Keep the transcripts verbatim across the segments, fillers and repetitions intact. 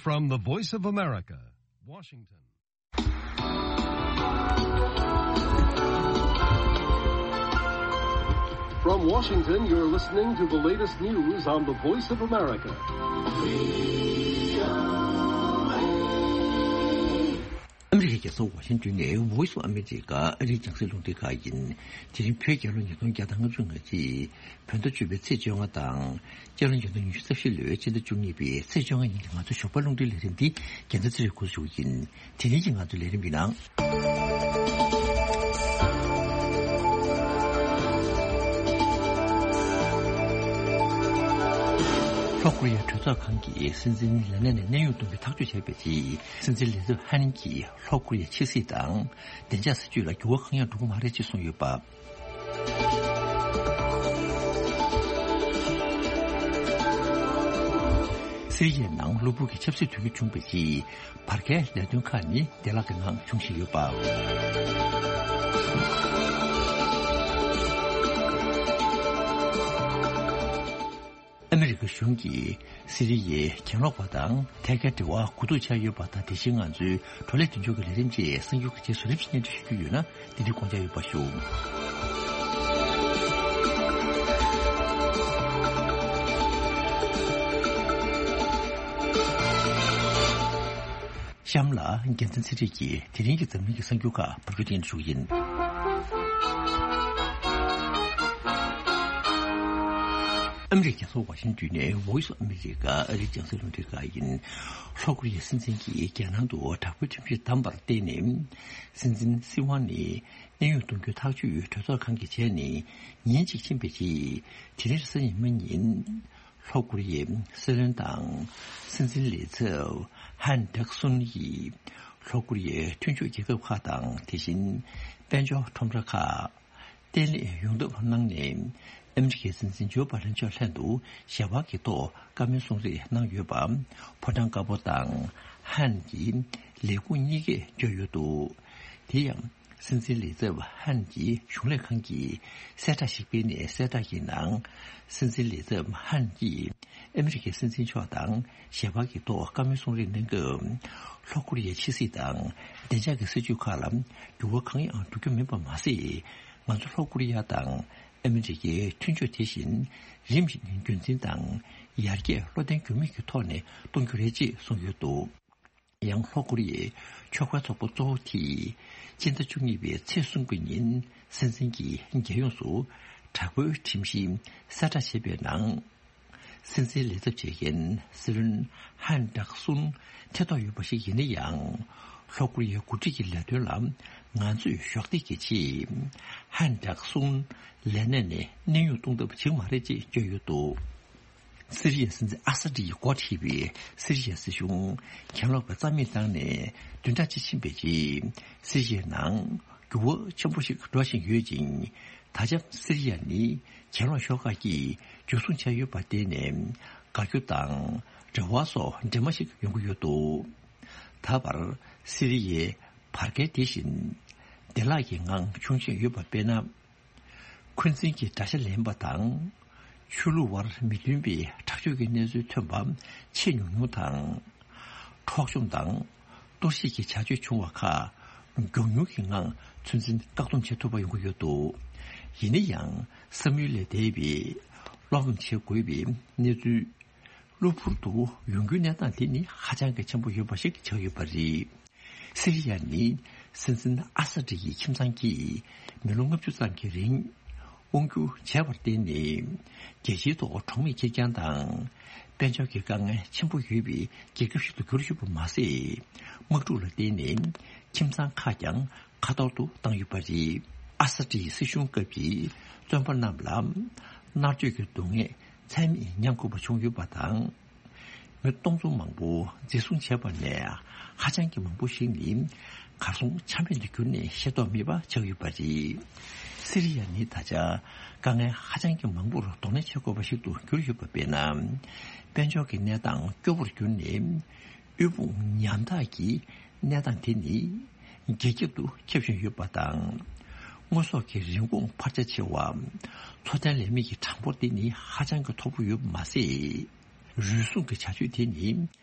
From the Voice of America, Washington. From Washington, you're listening to the latest news on the Voice of America. ཨ་མི་རི་ཀའི་རྒྱལ་ས་ཝ་ཤིང་ཏོན་ནས་Voice of America ཨ་རིའི་རྒྱང་སྲིང་རླུང་འཕྲིན་ཁང་ཡིན། དེ་རིང་བོད་རྒྱལ་ལོ་ཉིས་སྟོང་བརྒྱ་དང་ལྔ་བཅུ་ང་གཅིག་བོད་ཟླ་བཅུ་པའི་ཚེས་བཅོ་ལྔ་དང་། སྤྱི་ལོ་ཉིས་སྟོང་ཉི་ཤུ་རྩ་བཞི་ལོའི་སྤྱི་ཟླ་བཅུ་གཉིས་པའི་ཚེས་བཅོ་ལྔ་ཉིན་གྱི་ང་ཚོའི་ཞོགས་པ་རླུང་འཕྲིན་ལས་རིམ་འདི་རྒྱལ་མཚན་ཚེ་རིང་འགོ་འཛུགས་ཡིན། དེ་རིང་གི་ང་ཚོའི་ལས་རིམ་གྱི་ནང་། ལྷོ་ཀོ་རི་ཡ་གྲོས་ཚོགས་ཁང་གི་སྲིད་འཛིན་ལས་གནས་ནས་གནས་དབྱུང་གཏོང་རྒྱུ་ཐག་གཅོད་བྱས་པའི་རྗེས། སྲིད་འཛིན་ལི་ཙེ་ཧན་གྱིས་ལྷོ་ཀོ་རི་ཡའི་ཕྱི་སྲིད་དང་བདེ་འཇགས་སྲིད་ཇུས་ལ་འགྱུར་བ་གང་ཡང་འགྲོ་གི་མ་རེད་ཅེས་གསུངས་ཡོད་པ། སི་རི་ཡའི་ནང་གློ་བུར་གྱི་ཆབ་སྲིད་དུས་འགྱུར་བྱུང་བའི་རྗེས། བར་བརྒལ་ལས་དོན་ཁག་ནི་བདེ་བླག་གི་ངང་འབྱུང་བཞིན་ཡོད་པ། ཨ་མི་རི་ཀ་གཞུང་གིས་སི་རི་ཡའི་གྱེན་ལོག་པ་དང་ཐད་ཀའི་འབྲེལ་བ་གོ་བསྡུར་བྱས་ཡོད་པ་དང་། དེ་བཞིན་ང་ཚོའི་བགྲོ་གླེང་མདུན་ལྕོག་གི་ལས་རིམ་བཅས་གསར་འགྱུར་གྱི་རྗེས་སུ་རིམ་བཞིན་སྙན་སྒྲོན་ཞུ་རྒྱུ་ཡོད་ན། འདི་ནི་དགོངས་འཇགས་ཡོད་པ་ཞུ། གཤམ་ལ་རྒྱལ་མཚན་ཚེ་རིང་གིས་དེ་རིང་གི་འཛམ་གླིང་གི་གསར་འགྱུར་ཁག་ཕབ་སྒྱུར་སྙན་སྒྲོན་ཞུ་གི་ཡིན། ཨ་མི་རི་ཀའི་རྒྱལ་ས་ཝ་ཤིང་ཏོན་ནས་Voice of America ཨ་རིའི་རྒྱང་སྲིང་རླུང་འཕྲིན་ཁང་ཡིན། ལྷོ་ཀོ་རི་ཡའི་སྲིད་འཛིན་གྱིས་རྒྱལ་ནང་དུ་དྲག་པོའི་ཁྲིམས་གཞི་བསྡམས་པར་བརྟེན་ནས། སྲིད་འཛིན་སྲིད་དབང་ནས་གནས་དབྱུང་གཏོང་རྒྱུའི་ཐག་གཅོད་གྲོས་ཚོགས་ཁང་གིས་བྱས་ནས་ཉིན་གཅིག་ཕྱིན་པའི་རྗེས། དེ་རིང་རེས་གཟའ་ཉི་མ་ཉིན། ལྷོ་ཀོ་རི་ཡའི་སྲིད་བློན་དང་སྲིད་འཛིན་ལས་ཚབ་ཧན་ཌག་སུན་ཡིས་ལྷོ་ཀོ་རི་ཡའི་མཐུན་ཕྱོགས་རྒྱལ་ཁབ་ཁག་དང་། དེ་བཞིན་དཔལ་འབྱོར་ཁྲོམ་ར་ཁག་བརྟན་ལྷིང་ཡོང་ཐབས་གནང་ནས། ཨ་མི་རི་ཀའི་སྲིད་འཛིན་ཇོ་བྷ་དན་མཆོག་ལྷན་དུ་ཞལ་པར་གྱི་ཐོག་བཀའ་མོལ་གསུང་རེས་གནང་ཡོད་པ། ཕོ་བྲང་དཀར་པོ་དང་ཧན་གྱི་ལས་ཁུངས་གཉིས་ཀས་བརྗོད་ཡོད་འདུག་དེ་ཡང་། སྲིད་འཛིན་ལས་ཚབ་ཧན་གྱི་གཞུང་ལས་ཁང་གིས་གསལ་བསྒྲགས་ཤིག་སྤེལ་ནས། གསལ་བསྒྲགས་ཀྱི་ནང་། སྲིད་འཛིན་ལས་ཚབ་ཧན་གྱིས་ཨ་མི་རི་ཀའི་སྲིད་འཛིན་མཆོག་དང་ཞལ་པར་གྱི་ཐོག་བཀའ་མོལ་གསུང་རེས་གནང་སྐབས། ལྷོ་ཀོ་རི་ཡའི་ཕྱི་སྲིད་དང་བདེ་འཇགས་ཀྱི་སྲིད་ཇུས་ཁག་ལ་འགྱུར་བ་གང་ཡང་འགྲོ་རྒྱུ་མིན་པ་མ་ཟད། ང་ཚོ་ལྷོ་ཀོ་རི་ཡ་དང་ཨ་མི་རི་ཀའི་མཐུན་ཕྱོགས་དེ་བཞིན་རིམ་བཞིན་རྒྱུན་འཛིན་དང་ཡར་རྒྱས་བློ་བརྟན་འགྱུར་མེད་ཀྱི་ཐོག་ནས་གཏོང་རྒྱུ་རེད་ཅེས་གསུངས་ཡོད་འདུག་ཡང་ལྷོ་ཀོ་རི་ཡའི་ཕྱོགས་འགལ་ཚོགས་པ་གཙོ་བོ་དེས་སྤྱི་ཟླ་བཅུ་གཉིས་པའི་ཚེས་གསུམ་གྱི་ཉིན་སྲིད་འཛིན་གྱིས་རྒྱལ་ཡོངས་སུ་དྲག་པོའི་ཁྲིམས་གཞི་གསལ་བསྒྲགས་བྱས་པའི་ནང་། སྲིད་འཛིན་ལས་ཚབ་བྱེད་མཁན་སྲིད་བློན་ཧན་ཌག་སུན་ཐེ་གཏོགས་ཡོད་པ་ཞིག་ཡིན་ན་ཡང་། ལྷོ་ཀོ་རི་ཡའི་འགོ་ཁྲིད་ཀྱི་ལས་དོན་ལ་ང་ཚོས་གཞོགས་འདེགས་ཀྱི་ཆེད། ཧན་ཌག་སུན་ལས་གནས་ནས་གནས་དབྱུང་གཏོང་ཐབས་བྱེད་ཀྱི་མ་རེད་ཅེས་བརྗོད་ཡོད་འདུག་སི་རི་ཡའི་སྲིད་འཛིན་ཨ་ས་ཏི་ཡིས་འགོ་ཁྲིད་པའི་སི་རི་ཡའི་སྲིད་གཞུང་གྱེན་ལོག་པའི་རྩ་མེད་བཏང་ནས་བདུན་ཕྲག་གཅིག་ཕྱིན་པའི་རྗེས། སི་རི་ཡའི་ནང་འགྱུར་བ་ཆེན་པོ་ཞིག་འགྲོ་བཞིན་ཡོད་ཅིང་། ད་ཆ་སི་རི་ཡ་ནི་གྱེན་ལོག་ཤོག་ཁག་གིས་འཇུ་བཟུང་བྱས་ཡོད་པར་བརྟེན་ནས། དགའ་སྐྱོ་དང་འབྲེལ་བ་སོགས་འདྲེས་མ་ཞིག་ཡོང་གི་ཡོད་འདུག་ད་བར་སི་རི་ཡའི་བར་བརྒལ་དེ་བཞིན་བདེ་བླག་གི་ངང་བྱུང་བཞིན་ཡོད་པ་དཔེར་ན། འཁོན་འཛིན་གྱི་དགྲ་ཤ་ལེན་པ་དང་། ཆོས་ལུགས་དབར་མི་མཐུན་པའི་དྲག་སྤྱོད་ཀྱི་གནས་ཚུལ་ཐོན་པ་ཆེས་ཉུང་ཉུང་དང་། འཕྲོག་བཅོམ་དང་གཏོར་བཤིག་གི་བྱ་སྤྱོད་བྱུང་བ་ཁག་མགྱོགས་མྱུར་གྱི་ངང་ཚོད་འཛིན་བཀག་སྡོམ་བྱེད་ཐུབ་པ་ཡོང་གི་ཡོད་འདུག་ཡིན་ན་ཡང་། བསམ་ཡུལ་ལས་འདས་པའི་བློ་ཕམ་བྱེད་དགོས་པའི་གནས་ཚུལ། གློ་བུར་དུ་ཡོང་རྒྱུའི་གནས་སྟངས་དེ་ནི་ཧ་ཅང་གི་ཆེན་པོ་ཡོད་པ་ཞིག་ཆགས་ཡོད་པ་རེད། སི་རི་ཡ་ནི་སྲིད་འཛིན་ཨ་ས་ཏི་ཡི་ཁྱིམ་ཚང་གིས་མི་ལོ་ལྔ་བཅུ་ཙམ་གྱི་རིང་དབང་སྒྱུར་བྱས་པར་བརྟེན་ནས། རྒྱལ་སྤྱིའི་ཐོག་གྲོགས་མེད་ཁེར་རྐྱང་དང་། དཔལ་འབྱོར་གྱི་དཀའ་ངལ་ཆེན་པོ་ཡོད་པའི་རྒྱལ་ཁབ་ཞིག་ཏུ་གྱུར་ཡོད་པ་མ་ཟད། དམག་འཁྲུག་ལ་བརྟེན་ནས་ཁྱིམ་ཚང་ཁག་ཀྱང་ཁ་ཐོར་དུ་བཏང་ཡོད་པ་རེད། ཨ་ས་ཏི་ཡི་སྲིད་གཞུང་སྐབས་ཀྱི་བཙོན་པ་རྣམས་ལ་མནར་གཅོད་ཀྱི་སྡུག་བསྔལ་ཚད་མེད་མྱངས་དགོས་པ་བྱུང་ཡོད་པ་དང་། མི་སྟོང་ཚོ་མང་པོ་འཛིན་བཟུང་བྱས་པ་ནས། ཧ་ཅང་གི་མང་པོ་ཞིག་ནི་གར་སོང་ཆ་མེད་དུ་གྱུར་ནས་ཤེས་རྟོགས་མེད་པ་ཆགས་ཡོད་པ་རེད། སི་རི་ཡ་ནི་ད་ཆ་དཀའ་ངལ་ཧ་ཅང་གི་མང་པོར་གདོང་ལེན་བྱེད་དགོས་པ་ཞིག་ཏུ་གྱུར་ཡོད་པ་དཔེར་ན། དཔལ་འབྱོར་གྱི་གནས་སྟངས་སྐྱོ་བོར་གྱུར་ནས། དབུལ་ཕོངས་ཉམ་ཐག་གི་གནས་སྟངས་དེ་ནི་རྒྱ་ཁྱབ་ཏུ་ཁྱབ་བཞིན་ཡོད་པ་དང་། དངོས་ཟོག་གི་རིན་གོང་འཕར་ཆ་ཆེ་བ། འཚོ་རྟེན་ལས་མེད་ཀྱི་གྲངས་འབོར་དེ་ནི་ཧ་ཅང་གི་མཐོ་པོ་ཡོད་པ་མ་ཟད། རུལ་སུངས་ཀྱི་བྱ་སྤྱོད་དེ་ནི་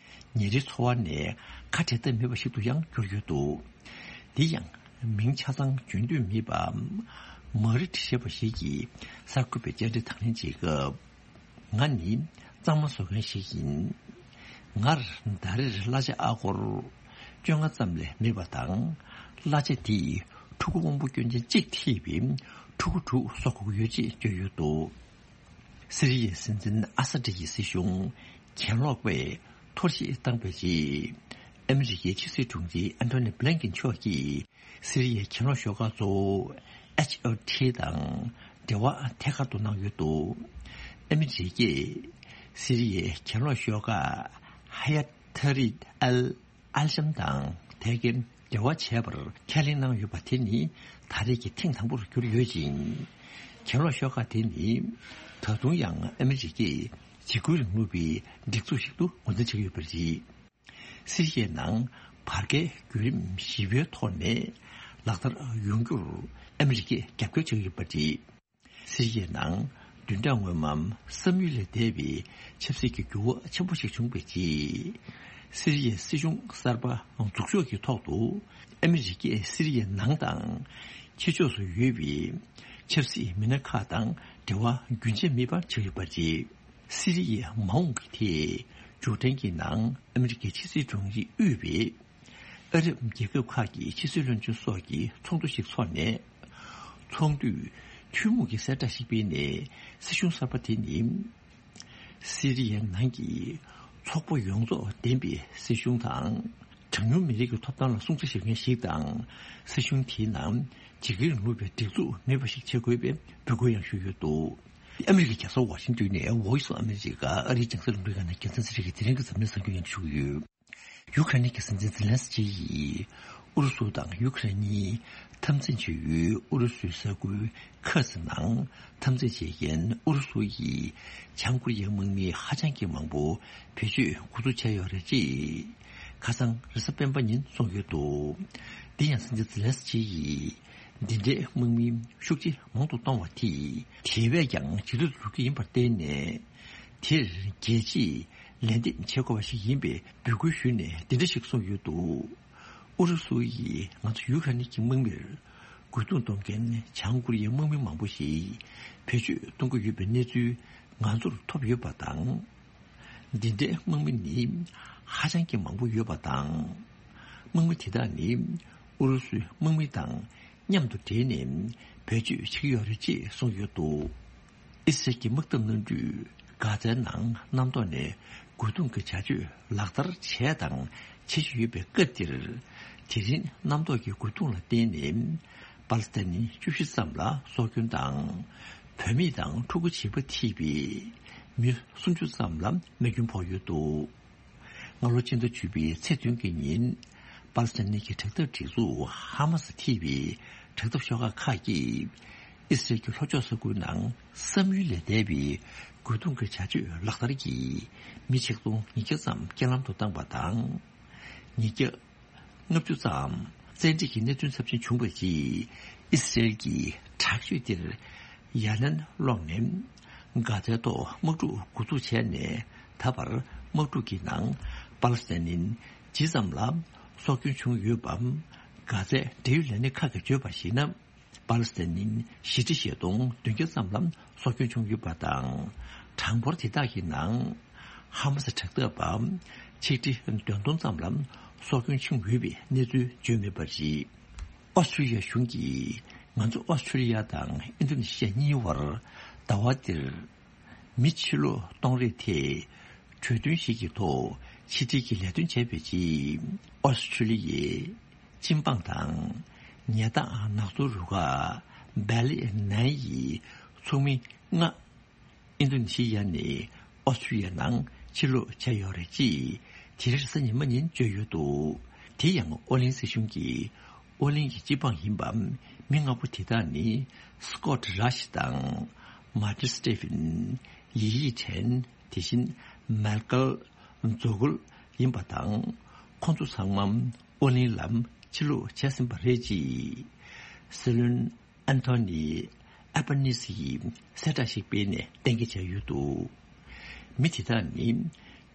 ཉིན་རེའི་འཚོ་བ་ནས་ཁ་བྲལ་ཐབས་མེད་པ་ཞིག་ཏུ་ཡང་གྱུར་ཡོད་འདུག། འདི་ཡང་མིང་ཆ་ཚང་བརྗོད་འདོད་མེད་པ་མ་རི་ཊི་ཞེས་པ་ཞིག་གིས་གསར་འགོད་པའི་བཅར་འདྲི་དང་ལེན་བྱེད་སྐབས། ང་ནི་གཙང་མ་བཟོ་མཁན་ཞིག་ཡིན། ངར་ཟླ་རེར་གླ་ཆ་ཨ་སྒོར་བཅོ་ལྔ་ཙམ་ལས་མེད་པ་དང་། གླ་ཆ་དེས་ཕྲུ་གུ་དབང་པོ་སྐྱོན་ཅན་གཅིག་ཐེ་བའི་ཕྲུ་གུ་དྲུག་གསོ་དགོས་ཀྱི་ཡོད་ཅེས་བརྗོད་ཡོད་འདུག། སི་རི་ཡའི་སྲིད་འཛིན་ཨ་ས་ཏྲི་ཡི་སྲིད་གཞུང་གྱེན་ལོག་པས་འཐོར་བཤིག་བཏང་པའི་རྗེས། ཨ་མི་རི་ཀའི་ཕྱི་སྲིད་དྲུང་ཆེ་ཨན་ཐོ་ནི་བྷི་ལན་ཀིན་མཆོག་གིས། སི་རི་ཡའི་གྱེན་ལོག་ཤོག་ཁག་གཙོ་བོ་ཨེཆ་ཨེལ་ཊི་དང་འབྲེལ་བ་ཐད་ཀར་དུ་གནང་ཡོད་འདུག། ཨ་མི་རི་ཀས་སི་རི་ཡའི་གྱེན་ལོག་ཤོག་ཁག་ཧ་ཡ་ཐ་རི་ཨལ་ཨལ་ཤམ་དང་ཐད་ཀའི་འབྲེལ་བ་བྱས་པར་ཁས་ལེན་གནང་ཡོད་པ་དེ་ནི་ད་རེས་ཀྱི་ཐེངས་དང་པོར་གྱུར་ཡོད་ཅིང་། གྱེན་ལོག་ཤོག་ཁག་དེ་ནི་ད་དུང་ཡང་ཨ་མི་རི་ཀས་འཇིགས་སྐུལ་རིང་ལུགས་པའི་སྒྲིག་འཛུགས་ཤིག་ཏུ་ངོས་འཛིན་བྱེད་ཀྱི་ཡོད་པ་རེད། སི་རི་ཡའི་ནང་བར་བརྒལ་བརྒྱུད་རིམ་ཞི་བའི་ཐོག་ནས་ལག་བསྟར་ཡོང་རྒྱུར་ཨ་མི་རི་ཀས་རྒྱབ་སྐྱོར་བྱེད་ཀྱི་ཡོད་པ་རེད། སི་རི་ཡའི་ནང་བདུན་ཕྲག་སྔོན་མ་བསམ་ཡུལ་ལས་འདས་པའི་ཆབ་སྲིད་ཀྱི་འགྱུར་བ་ཆེན་པོ་ཞིག་བྱུང་བའི་རྗེས། སི་རི་ཡའི་སྲིད་གཞུང་གསར་པ་འཛུགས་ཕྱོགས་ཀྱི་ཐོག་ཏུ་ཨ་མི་རི་ཀས་སི་རི་ཡའི་ནང་དང་ཕྱི་ཕྱོགས་སུ་ཡོད་པའི་ཆབ་སྲིད་མི་སྣ་ཁག་དང་འབྲེལ་བ་རྒྱུན་ཆད་མེད་པར་བྱས་ཡོད་པ་རེད། སི་རི་ཡའི་མ་འོངས་ཀྱི་ཐད་མཇུག་འབྲས་ཀྱི་ནང་ཨ་མི་རི་ཀའི་ཕྱི་སྲིད་དྲུང་ཆེས་དབུས་པའི་ཨ་རབ་རྒྱལ་ཁབ་ཁག་གི་ཕྱི་སྲིད་བློན་ཆེན་སོགས་ཀྱི་ཚོགས་འདུ་ཞིག་འཚོགས་ནས། ཚོགས་འདུས་ཐུན་མོང་གི་གསལ་བསྒྲགས་ཤིག་སྤེལ་ནས། སྲིད་གཞུང་གསར་པ་དེ་ནི་སི་རི་ཡའི་ནང་གི་ཚོགས་པ་ཡོངས་རྫོགས་ལྡན་པའི་སྲིད་གཞུང་དང་། གྲངས་ཉུང་མི་རིགས་ཀྱི་ཐོབ་ཐང་ལ་སྲུང་བརྩི་བྱེད་མཁན་ཞིག་དང་། སྲིད་གཞུང་དེའི་ནང་འཇིགས་སྐུལ་རིང་ལུགས་པའི་སྒྲིག་འཛུགས་མེད་པ་ཞིག་བྱེད་དགོས་པའི་འབོད་སྐུལ་ཡང་ཞུས་ཡོད་འདུག། ཨ་མི་རི་ཀའི་རྒྱལ་ས་ཝ་ཤིང་ཏོན་ནས་Voice of America ཨ་རིའི་རྒྱང་སྲིང་རླུང་འཕྲིན་ཁང་ནས་རྒྱལ་མཚན་ཚེ་རིང་གིས་དེ་རིང་གི་འཛམ་གླིང་གསར་འགྱུར་སྙན་སྒྲོན་ཞུ་གི་ཡོད། ཡུ་ཁ་རེན་གྱི་སྲིད་འཛིན་ཛེ་ལན་སི་ཀི་ཡིས་ཨུ་རུ་སུ་དང་ཡུ་ཁ་རེན་གཉིས་འཐབ་འཛིང་བྱེད་ཡུལ་ཨུ་རུ་སུའི་ས་ཁུལ་ཁ་ཛི་ནང་འཐབ་འཛིང་བྱེད་མཁན་ཨུ་རུ་སུ་ཡི་བྱང་ཀོ་རི་ཡའི་དམག་མི་ཧ་ཅང་གི་མང་པོ་བེད་སྤྱོད་འགོ་འཛུགས་བྱས་ཡོད་རེད་ཅེས་ཁ་སང་རེས་གཟའ་སྤེན་པ་ཉིན་གསུངས་ཡོད་འདུག། འདི་ཡང་སྲིད་འཛིན་ཛེ་ལན་སི་ཀི་ཡིས་འདི་འདྲའི་དམག་མི་ཤུགས་ཆེ་མང་དུ་གཏོང་བ་དེས་དེ་བས་ཀྱང་ཇེ་སྡུག་ཏུ་འགྲོ་གི་ཡིན་པར་བརྟེན་ནས། དེར་རྒྱལ་སྤྱིས་ལན་འདེབས་བྱེད་དགོས་པ་ཞིག་ཡིན་པའི་འབོད་སྐུལ་ཞུས་ནས་འདི་འདྲ་ཞིག་གསུངས་ཡོད་འདུག། ཨུ་རུ་སུ་ཡིས་ང་ཚོ་ཡུ་ཁ་རེན་གྱི་དམག་མིར་རྒོལ་རྡུང་གཏོང་མཁན་བྱང་ཀོ་རི་ཡའི་དམག་མི་མང་པོ་ཞིག་བེད་སྤྱོད་གཏོང་གི་ཡོད་པའི་གནས་ཚུལ་ང་ཚོར་ཐོབ་ཡོད་པ་དང་། འདི་འདྲའི་དམག་མི་ནི་ཧ་ཅང་གི་མང་པོ་ཡོད་པ་དང་། དམག་མི་དེ་དག་ནི་ཨུ་རུ་སུའི་དམག་མི་དང་མཉམ་དུ་སྦྲེལ་ནས་བེད་སྤྱོད་བྱེད་ཀྱི་ཡོད་རེད་ཅེས་གསུངས་ཡོད་འདུག། ཨི་སི་རལ་གྱི་དམག་འཐབ་གནམ་གྲུས་གྷ་ཛའི་ནང་གནམ་ཐོག་ནས་རྒོལ་རྡུང་གི་བྱ་སྤྱོད་ལག་བསྟར་བྱས་དང་བྱེད་བཞིན་ཡོད་པའི་སྐབས་འདིར། དེ་རིང་གནམ་ཐོག་གི་རྒོལ་རྡུང་ལ་བརྟེན་ནས་པ་ལི་སི་ཐན་ནི་བཅུ་བཞི་ཙམ་ལ་སྲོག་སྐྱོན་དང་། བུད་མེད་དང་ཕྲུ་གུ་བྱིས་པ་ཐེ་བའི་མི་སུམ་ཅུ་ཙམ་ལ་རྨས་སྐྱོན་ཕོག་ཡོད་འདུག། སྔ་ལོ་སྤྱི་ཟླ་བཅུ་པའི་ཚེས་བདུན་གྱི་ཉིན། པ་ལི་སི་ཐན་གྱི་དྲག་འཐབ་སྒྲིག་འཛུགས་ཧ་མ་སི་ཐེ་བའི་དྲག་འཐབ་ཤོག་ཁག་ཁག་གིས་ཨི་སི་རལ་གྱི་ལྷོ་ཕྱོགས་ས་ཁུལ་ནང་བསམ་ཡུལ་ལས་འདས་པའི་རྒོལ་རྡུང་གི་བྱ་སྤྱོད་ལག་བསྟར་གྱིས་མི་ཆིག་སྟོང་ཉིས་བརྒྱ་ཙམ་རྐྱེན་ལམ་དུ་བཏང་བ་དང་། ཉིས་བརྒྱ་ལྔ་བཅུ་ཙམ་བཙན་ཁྲིད་ཀྱི་གནད་དོན་ཚབས་ཆེན་བྱུང་བའི་རྗེས། ཨི་སི་རལ་གྱི་དྲག་སྤྱོད་དེར་ཡ་ལན་སློག་ནས། གྷ་ཛའི་ཐོག་དམག་འཁྲུག་འགོ་འཛུགས་བྱས་ནས། ད་བར་དམག་འཁྲུག་གི་ནང་པ་ལི་སི་ཐན་ནི་ཇི་ཙམ་ལ་སྲོག་སྐྱོན་བྱུང་ཡོད་པ། གྷ་ཛའི་འབྲེལ་ཡོད་ལས་སྣེ་ཁག་གིས་བརྗོད་པར་གཞིགས་ན། པ་ལི་སི་ཐན་ནི་བཞི་ཁྲི་བཞི་སྟོང་བདུན་བརྒྱ་ཙམ་ལ་སྲོག་སྐྱོན་བྱུང་ཡོད་པ་དང་། གྲངས་འབོར་དེ་དག་གི་ནང་ཧ་མ་སི་དྲག་འཐབ་པ་ཆིག་ཁྲི་བདུན་སྟོང་ཙམ་ལ་སྲོག་སྐྱོན་བྱུང་ཡོད་པའི་གནས་ཚུལ་བརྗོད་མེད་པ་རེད། ཨོ་སི་ཁྲུ་ལི་ཡ་གཞུང་གིས་ང་ཚོ་ཨོ་སི་ཁྲུ་ལི་ཡ་དང་ཨིན་རྡུ་ནེ་ཤི་ཡ་གཉིས་བར་ཟླ་བ་འདིར་མི་ཕྱིར་ལོག་གཏོང་རེས་ཐད་གྲོས་མཐུན་ཞིག་གི་ཐོག་ཕྱི་འབྲེལ་གྱི་ལས་དོན་བྱས་པའི་རྗེས། ཨོ་སི་ཁྲུ་ལི་ཡའི་སྤྱི་འབངས་དང་ཉལ་ཐང་ནག་ཚོང་རུ་ཁག་བྷེ་ལི་ནན་ཡི་ཚོགས་མི་ལྔ་ཨིན་རྡུ་ནེ་ཤི་ཡ་ནས་ཨོ་སི་ཁྲུ་ལི་ཡ་ནང་ཕྱིར་ལོག་བྱས་ཡོད་རེད་ཅེས་དེ་རིང་རེས་གཟའ་ཉི་མ་ཉིན་བརྗོད་ཡོད་འདུག། དེ་ཡང་ཨོ་གླིང་སྲིད་གཞུང་གིས་ཨོ་གླིང་གི་སྤྱི་འབངས་ཡིན་པ་མི་ལྔ་པོ་དེ་དག་ནི་སི་ཀོཊ་རཱཤ་དང་མར་ཏིན་སི་ཏེ་ཕིན། ཡི་ཡི་ཁྲེན། དེ་བཞིན་མལ་ཀལ་ཛོ་གུལ་ཡིན་པ་དང་། ཁོང་ཚོ་ཚང་མ་ཨོ་གླིང་ལ་ཕྱིར་ལོག་བྱས་ཟིན་པ་རེད་ཅེས་སྲིད་བློན་ཨན་ཐོ་ནི་ཨལ་བྷ་ནི་སི་ཡིས་གསལ་བསྒྲགས་ཤིག་སྤེལ་ནས་གཏན་འཁེལ་བྱས་ཡོད་འདུག། མི་དེ་དག་ནི་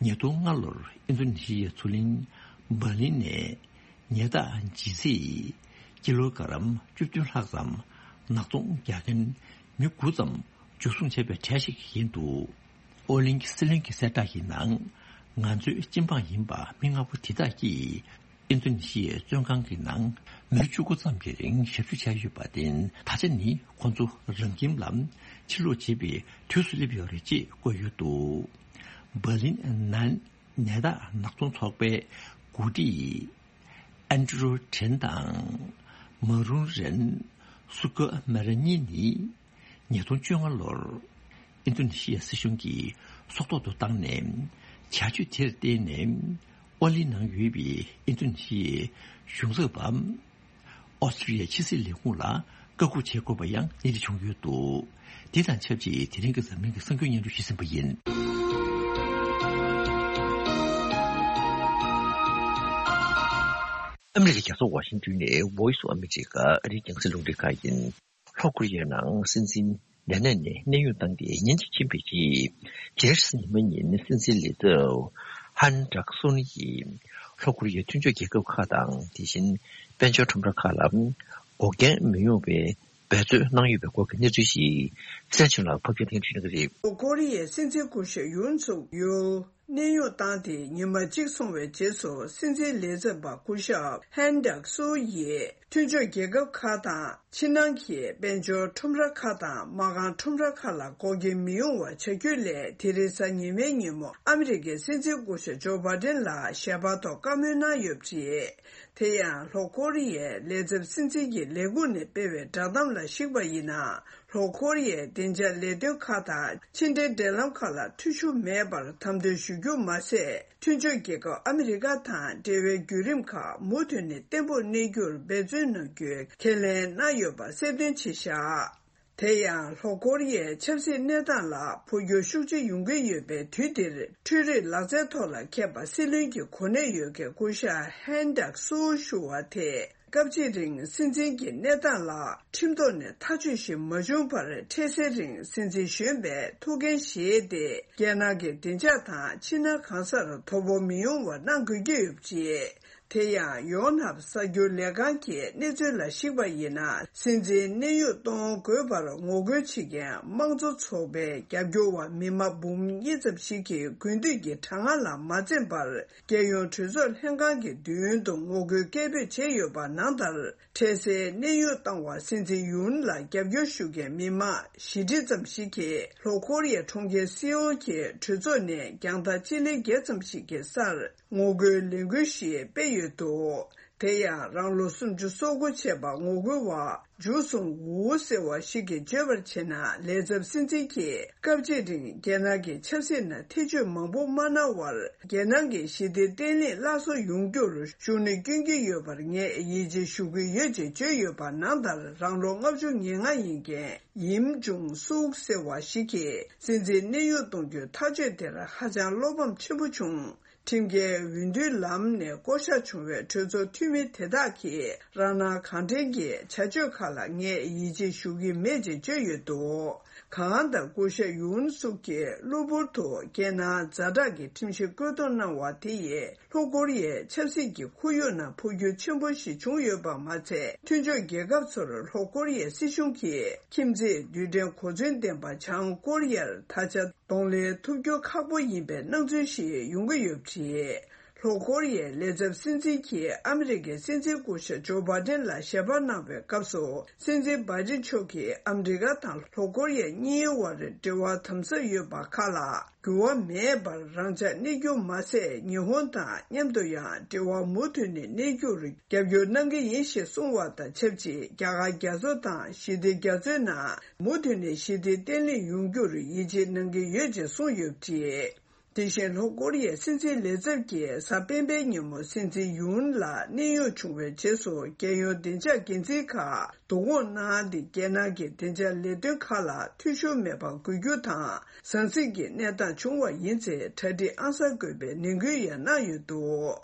ཉིས་སྟོང་ལྔ་ལོར་ཨིན་རྡུ་ནི་ཤི་ཡའི་མཚོ་གླིང་འབར་ལིན་ནས་ཉེས་རྡུང་ལྗིད་ཚད་ཀི་ལོ་ག་རམ་བཅུ་བདུན་ལྷག་ཙམ་ནག་ཚོང་རྒྱག་མཁན་མི་དགུ་ཙམ་འཇུ་བཟུང་བྱས་པའི་གྲས་ཤིག་ཡིན་འདུག་ཨོ་གླིང་གི་སྲིད་བློན་གྱི་གསལ་བསྒྲགས་ཀྱི་ནང་། ང་ཚོའི་སྤྱི་འབངས་ཡིན་པ་མི་ལྔ་པོ་དེ་དག་གིས་ཨིན་རྡུ་ནི་ཤི་ཡའི་བཙོན་ཁང་གི་ནང་མི་ལོ་བཅུ་དགུ་ཙམ་གྱི་རིང་ཞབས་ཞུ་བྱས་ཡོད་པ་དེ་ད་ཆ་ནི་ཁོང་ཚོ་རང་ཁྱིམ་ལ་ཕྱིར་ལོག་བྱེད་པའི་དུས་སུ་སླེབས་ཡོད་རེད་ཅེས་བཀོད་ཡོད་འདུག་འབར་ལིན་ནན་ནད་བརྟག་ནག་ཚོང་ཚོགས་པའི་འགོ་ཁྲིད་ཨན་ཌྲུ་ཁྲེན་དང་མ་རུང་རེན་སུ་ཀ་མེ་ར་གཉིས་ནི། ཉིས་སྟོང་བཅོ་ལྔ་ལོར་ཨིན་རྡུ་ནི་ཤི་ཡ་སྲིད་གཞུང་གིས་སྲོག་ཐོག་ཏུ་བཏང་ནས། བྱ་སྤྱོད་དེར་བརྟེན་ནས་ཨོ་གླིང་ནང་ཡོད་པའི་ཨིན་རྡུ་ནི་ཤི་ཡའི་གཞུང་ཚབ་པ་ཨོ་སི་ཀྲི་ཡའི་ཕྱི་སྲིད་ལས་ཁུངས་ལ་བཀའ་འགུག་བྱེད་དགོས་པ་ཡང་གནས་འདྲི་བྱུང་ཡོད་འདུག་དེ་དང་ཆབས་ཅིག་དེ་རིང་གི་འཛམ་གླིང་གི་གསར་འགྱུར་སྙན་སྒྲོན་ཞུས་ཟིན་པ་ཡིན། ཨ་མི་རི་ཀའི་རྒྱལ་ས་ཝ་ཤིང་ཏོན་ནས་Voice of America ཨ་རིའི་རྒྱང་སྲིང་རླུང་འཕྲིན་ཁང་ཡིན། ལྷོ་ཀོ་རི་ཡའི་ནང་སྲིད་འཛིན་ལས་གནས་ནས་གནས་དབྱུང་བཏང་སྟེ་ཉིན་གཅིག་ཕྱིན་པའི་རྗེས། རྒྱལ་སྲིད་ཉི་མ་ཉིན་སྲིད་འཛིན་ལས་ཚབ་ཧན་ཌག་སུན་ཡིས་ལྷོ་ཀོ་རི་ཡའི་མཐུན་ཕྱོགས་རྒྱལ་ཁབ་ཁག་དང་། དེ་བཞིན་དཔལ་འབྱོར་ཁྲོམ་ར་ཁག་ལ་འགོག་རྐྱེན་མི་ཡོང་བའི་འབད་རྩོལ་གནང་ཡོད་པའི་སྐོར་གྱི་གནས་ཚུལ་ཞིག་བཙན་བྱོལ་ལ་ཕབ་སྒྱུར་ཐེངས་བྱེད་ཀྱི་རེད། ལྷོ་ཀོ་རི་ཡའི་སྲིད་འཛིན་སྐུ་ཞབས་ཡུན་སུག་ཡུལ། གནས་དབྱུང་བཏང་སྟེ་ཉི་མ་གཅིག་སོང་བའི་རྗེས་སུ། སྲིད་འཛིན་ལས་ཚབ་པ་སྐུ་ཞབས་ཧན་ཌག་སུའུ་ཡིས་མཐུན་ཕྱོགས་རྒྱལ་ཁབ་ཁག་དང་། ཕྱི་ནང་གི་དཔལ་འབྱོར་ཁྲོམ་ར་ཁག་དང་། མ་རྐང་ཁྲོམ་ར་ཁག་ལ་འགོག་རྐྱེན་མི་ཡོང་བ་བྱ་རྒྱུའི་སླད། དེ་རིང་གཟའ་ཉི་མའི་ཉིན་མོ་ཨ་མི་རི་ཀའི་སྲིད་འཛིན་སྐུ་ཞབས་ཇོ་བྷ་ཌེན་ལ་ཞལ་པར་ཐོག་བཀའ་མོལ་གནང་ཡོད་པ་རེད། དེ་ཡང་ལྷོ་ཀོ་རི་ཡའི་ལས་ཚབ་སྲིད་འཛིན་གྱི་ལས་ཁུངས་ནས་སྤེལ་བའི་བསྒྲགས་གཏམ་ལ་གཞིགས་པ་ཡིན་ན། ལྷོ་ཀོ་རི་ཡའི་བདེ་འཇགས་ལས་དོན་ཁག་དང་ཕྱི་འབྲེལ་འབྲེལ་ལམ་ཁག་ལ་འཐུས་ཤོར་མེད་པར་དམ་དོན་ཞུ་རྒྱུ་མ་ཟད། མཐུན་ཕྱོགས་རྒྱལ་ཁབ་ཨ་མི་རི་ཀ་དང་འབྲེལ་བའི་བརྒྱུད་རིམ་ཁག་མུ་མཐུད་ནས་བརྟན་པོར་གནས་རྒྱུར་འབད་བརྩོན་གནང་རྒྱུའི་ཁས་ལེན་གནང་ཡོད་པ་གསལ་སྟོན་བྱས་བཞག་དེ་ཡང་ལྷོ་ཀོ་རི་ཡའི་ཆབ་སྲིད་གནས་སྟངས་ལ་འཕོ་འགྱུར་ཤུགས་ཆེ་ཡོང་གི་ཡོད་པའི་དུས་འདིར། འཕྲུལ་རིག་ལག་རྩལ་ཐོག་ལ་མཁས་པ་སྲིད་བློན་གྱི་གོ་གནས་ཡོད་མཁན་སྐུ་ཞབས་ཧན་ཌག་སུའུ་ཞུ་བ་དེས། སྐབས་གཅིག་རིང་སྲིད་འཛིན་གྱི་གནས་སྟངས་ལ་ཁྲིམས་ཐོག་ནས་ཐག་གཅོད་ཞིག་མ་བྱུང་བར། འཕྲལ་སེལ་རིང་སྲིད་འཛིན་གཞོན་པས་ཐུགས་འགན་བཞེས་ཏེ། རྒྱལ་ནང་གི་བདེ་འཇགས་དང་ཕྱི་ནང་གང་སར་དོ་ཕོག་མི་ཡོང་བ་གནང་དགོས་ཀྱི་ཡོད་པ་རེད། དེ་ཡང་ཡོང་ནབ་གསར་འགྱུར་ལས་ཁང་གི་གནས་ཚུལ་ལ་གཞིགས་པ་ཡིན་ན། སྲིད་འཛིན་གནས་དབྱུང་གཏོང་དགོས་པར་ངོ་རྒོལ་བྱེད་མཁན་དམངས་གཙོ་ཚོགས་པའི་རྒྱབ་སྐྱོར་བ་མི་མང་འབུམ་གཉིས་ཙམ་ཞིག་གིས་དགུན་དུས་ཀྱི་གྲང་ངར་ལ་མ་འཛེམས་པར། རྒྱལ་ཡོངས་གྲོས་ཚོགས་ལྷན་ཁང་གི་མདུན་དུ་ངོ་རྒོལ་སྐད་འབོད་བྱས་ཡོད་པ་ནང་ལྟར། འཕྲལ་སེལ་གནས་དབྱུང་བཏང་བ་སྲིད་འཛིན་ཡུན་ལ་རྒྱབ་སྐྱོར་ཞུ་མཁན་མི་མང་བཞི་ཁྲི་ཙམ་ཞིག་གིས་ལྷོ་ཀོ་རི་ཡའི་གྲོང་ཁྱེར་སེའོལ་གྱི་གྲོས་ཚོགས་ནས་རྒྱང་ཐག་སྤྱི་ལེ་བརྒྱད་ཙམ་ཞིག་གི་སར་ངོ་རྒོལ་ལས་འགུལ་ཞིག་སྤེལ་ཡོད་འདུག་དེ་ཡང་རང་ལོ་སུམ་ཅུ་སོ་དགུ་བྱས་པ་ངོ་རྒོལ་བ་ཇུ་སུང་ཝུའུ་ཟེར་བ་ཞིག་གིས་བརྗོད་པར་བྱས་ན། ལས་ཚབ་སྲིད་འཛིན་གྱིས་སྐབས་གཅིག་རིང་རྒྱལ་ནང་གི་ཆབ་སྲིད་ནང་ཐེ་བྱུས་མང་པོ་མ་གནང་བར། རྒྱལ་ནང་གི་ཞི་བདེ་བརྟན་ལྷིང་སླར་གསོ་ཡོང་རྒྱུར་ཤུགས་སྣོན་བསྐྱོན་གྱི་ཡོད་པར་ངས་ཡིད་ཆེས་ཞུ་གི་ཡོད་ཅེས་བརྗོད་ཡོད་པ་ནང་ལྟར། རང་ལོ་ལྔ་བཅུ་ང་ལྔ་ཡིན་མཁན་ཡིམ་ཇུང་སུག་ཟེར་བ་ཞིག་གིས་སྲིད་འཛིན་གནས་དབྱུང་གཏོང་རྒྱུའི་ཐག་གཅོད་དེར་ཧ་ཅང་བློ་ཕམ་ཆེན་པོ་བྱུང་། ཁྲིམས་འགལ་འོས་བསྡུའི་ལམ་ནས་བསྐོ་གཞག་བྱུང་བའི་གྲོས་ཚོགས་འཐུས་མི་དེ་དག་གིས་རང་སྣང་གང་དྲན་གྱི་བྱ་སྤྱོད་ཁག་ལ་ངས་ཡིད་ཆེས་ཞུ་གི་མེད་ཅེས་བརྗོད་ཡོད་འདུག་གང་ལྟར་སྐུ་ཞབས་ཡུན་སུག་གིས་གློ་བུར་དུ་རྒྱལ་ནང་ཛ་དྲག་གི་ཁྲིམས་གཞི་བཀོད་གཏོང་གནང་བ་དེ་ཡིས་ལྷོ་ཀོ་རི་ཡའི་ཆབ་སྲིད་ཀྱི་ཁོར་ཡུག་ནང་འཕོ་འགྱུར་ཆེན་པོ་ཞིག་བྱུང་ཡོད་པ་མ་ཚད། མཐུན་ཕྱོགས་རྒྱལ་ཁབ་ཚོར་ལྷོ་ཀོ་རི་ཡའི་སྲིད་གཞུང་གིས་ཁྱིམ་མཚེས་རྡུལ་ཕྲན་གོ་མཚོན་ལྡན་པ་བྱང་ཀོ་རི་ཡར་ད་ཆ་གདོང་ལེན་ཐུབ་རྒྱུ་ཁག་པོ་ཡིན་པའི་སྣང་ཚུལ་ཞིག་ཡོང་གི་ཡོད་པ་རེད། ལྷོ་ཀོ་རི་ཡའི་ལས་ཚབ་སྲིད་འཛིན་གྱིས་ཨ་མི་རི་ཀའི་སྲིད་འཛིན་སྐུ་ཞབས་ཇོ་བྷ་ཌེན་ལ་ཞལ་པར་གནང་བའི་སྐབས་སུ། སྲིད་འཛིན་བྷ་ཌེན་མཆོག་གིས་ཨ་མི་རི་ཀ་དང་ལྷོ་ཀོ་རི་ཡ་གཉིས་བར་འབྲེལ་བ་དམ་ཟབ་ཡོད་པ་ཁག་ལ་འགྱུར་བ་མེད་པར་རང་འཇགས་གནས་རྒྱུ་མ་ཟད། ཉི་ཧོང་དང་མཉམ་དུ་ཡང་འབྲེལ་བ་མུ་མཐུད་ནས་གནས་རྒྱུར་རྒྱབ་སྐྱོར་གནང་གི་ཡིན་ཞེས་གསུངས་པ་དང་ཆབས་ཅིག་རྒྱ་གར་རྒྱ་མཚོ་དང་ཞི་བདེ་རྒྱ་མཚོའི་ནང་མུ་མཐུད་ནས་ཞི་བདེ་བརྟན་ལྷིང་ཡོང་རྒྱུར་ཡིད་ཆེས་གནང་གི་ཡོད་ཅེས་གསུངས་ཡོད་པ་རེད། དེ་བཞིན་ལྷོ་ཀོ་རི་ཡའི་སྲིད་འཛིན་ལས་ཚབ་ཀྱིས་གཟའ་སྤེན་པའི་ཉིན་མོ་སྲིད་འཛིན་ཡུན་ལ་གནས་དབྱུང་བྱུང་བའི་རྗེས་སུ། རྒྱལ་ཡོངས་བདེ་འཇགས་འགན་འཛིན་ཁག་བསྡུ་སྐོང་གནང་སྟེ། རྒྱལ་ནང་གི་བདེ་འཇགས་ལས་དོན་ཁག་ལ་འཐུས་ཤོར་མེད་པ་དགོས་རྒྱུ་དང་། ཟང་ཟིང་གི་གནས་སྟངས་བྱུང་བ་ཡིན་ཚེ་གྲ་སྒྲིག་ཨང་གསར་དགོས་པའི་ནན་སྐུལ་ཡང་གནང་ཡོད་འདུག་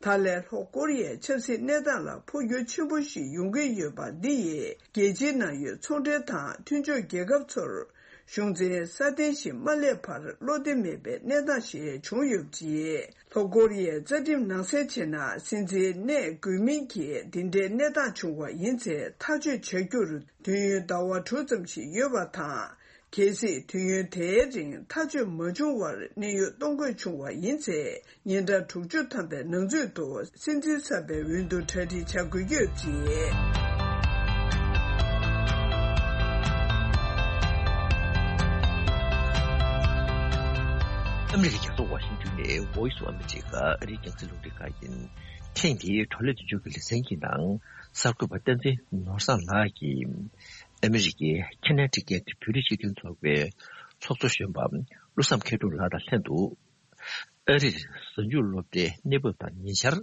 ད་ལན་ལྷོ་ཀོ་རི་ཡའི་ཆབ་སྲིད་གནས་སྟངས་ལ་འཕོ་འགྱུར་ཆེན་པོ་ཞིག་ཡོང་གི་ཡོད་པ་འདི་ཡིས། རྒྱལ་སྤྱིའི་ནང་ཡོད་ཚོང་འབྲེལ་དང་མཐུན་ཕྱོགས་རྒྱལ་ཁབ་ཚོར། གཞུང་འཛིན་སྲ་བརྟན་ཞིག་མ་སླེབས་བར་བློ་བདེ་མེད་པའི་གནས་སྟངས་ཤིག་བྱུང་ཡོད་པ་རེད། ལྷོ་ཀོ་རི་ཡའི་རྩ་ཁྲིམས་ནང་གསལ་བྱས་ན། སྲིད་འཛིན་གནས་དགོས་མིན་གྱི་འདི་འདྲའི་གནས་སྟངས་བྱུང་བ་ཡིན་ཚེ། ཐག་གཅོད་བྱ་རྒྱུར་དུས་ཡུན་ཟླ་བ་དྲུག་ཙམ་ཞིག་ཡོད་པ་དང་། གལ་སྲིད་དུས་ཡུན་དེའི་རིང་ཐག་གཅོད་མ་བྱུང་བར་གནས་དབྱུང་གཏོང་དགོས་བྱུང་བ་ཡིན་ཚེ། ཉིན་གྲངས་དྲུག་ཅུ་ཐམ་པའི་ནང་ཚུད་དུ་སྲིད་འཛིན་གསར་པའི་འོས་བསྡུ་གྲ་སྒྲིག་བྱ་དགོས་ཀྱི་ཡོད་པ་རེད། ཨ་མི་རི་ཀའི་རྒྱལ་ས་ཝ་ཤིང་ཏོན་ནས་Voice of America ཨ་རིའི་རྒྱང་སྲིང་རླུང་འཕྲིན་ཁང་ཡིན། ཐེངས་འདིའི་བགྲོ་གླེང་མདུན་སྐྱོད་ཀྱི་ལེ་ཚན་གྱི་ནང་གསར་འགོད་པ་བསྟན་འཛིན་ནོར་བཟང་ལགས་ཀྱིས། ཨ་མི་རི་ཀའི་ཁེ་ན་ཊི་ཀེ་ཊི་བོད་རིགས་སྤྱི་མཐུན་ཚོགས་པའི་ཚོགས་གཙོ་གཞོན་པ་བློ་བཟང་མཁས་གྲུབ་ལགས་དང་ལྷན་དུ། ཨ་རིར་གཟའ་མཇུག་སློབ་གྲྭའི་གནས་བབ་དང་ཉེ་ཆར།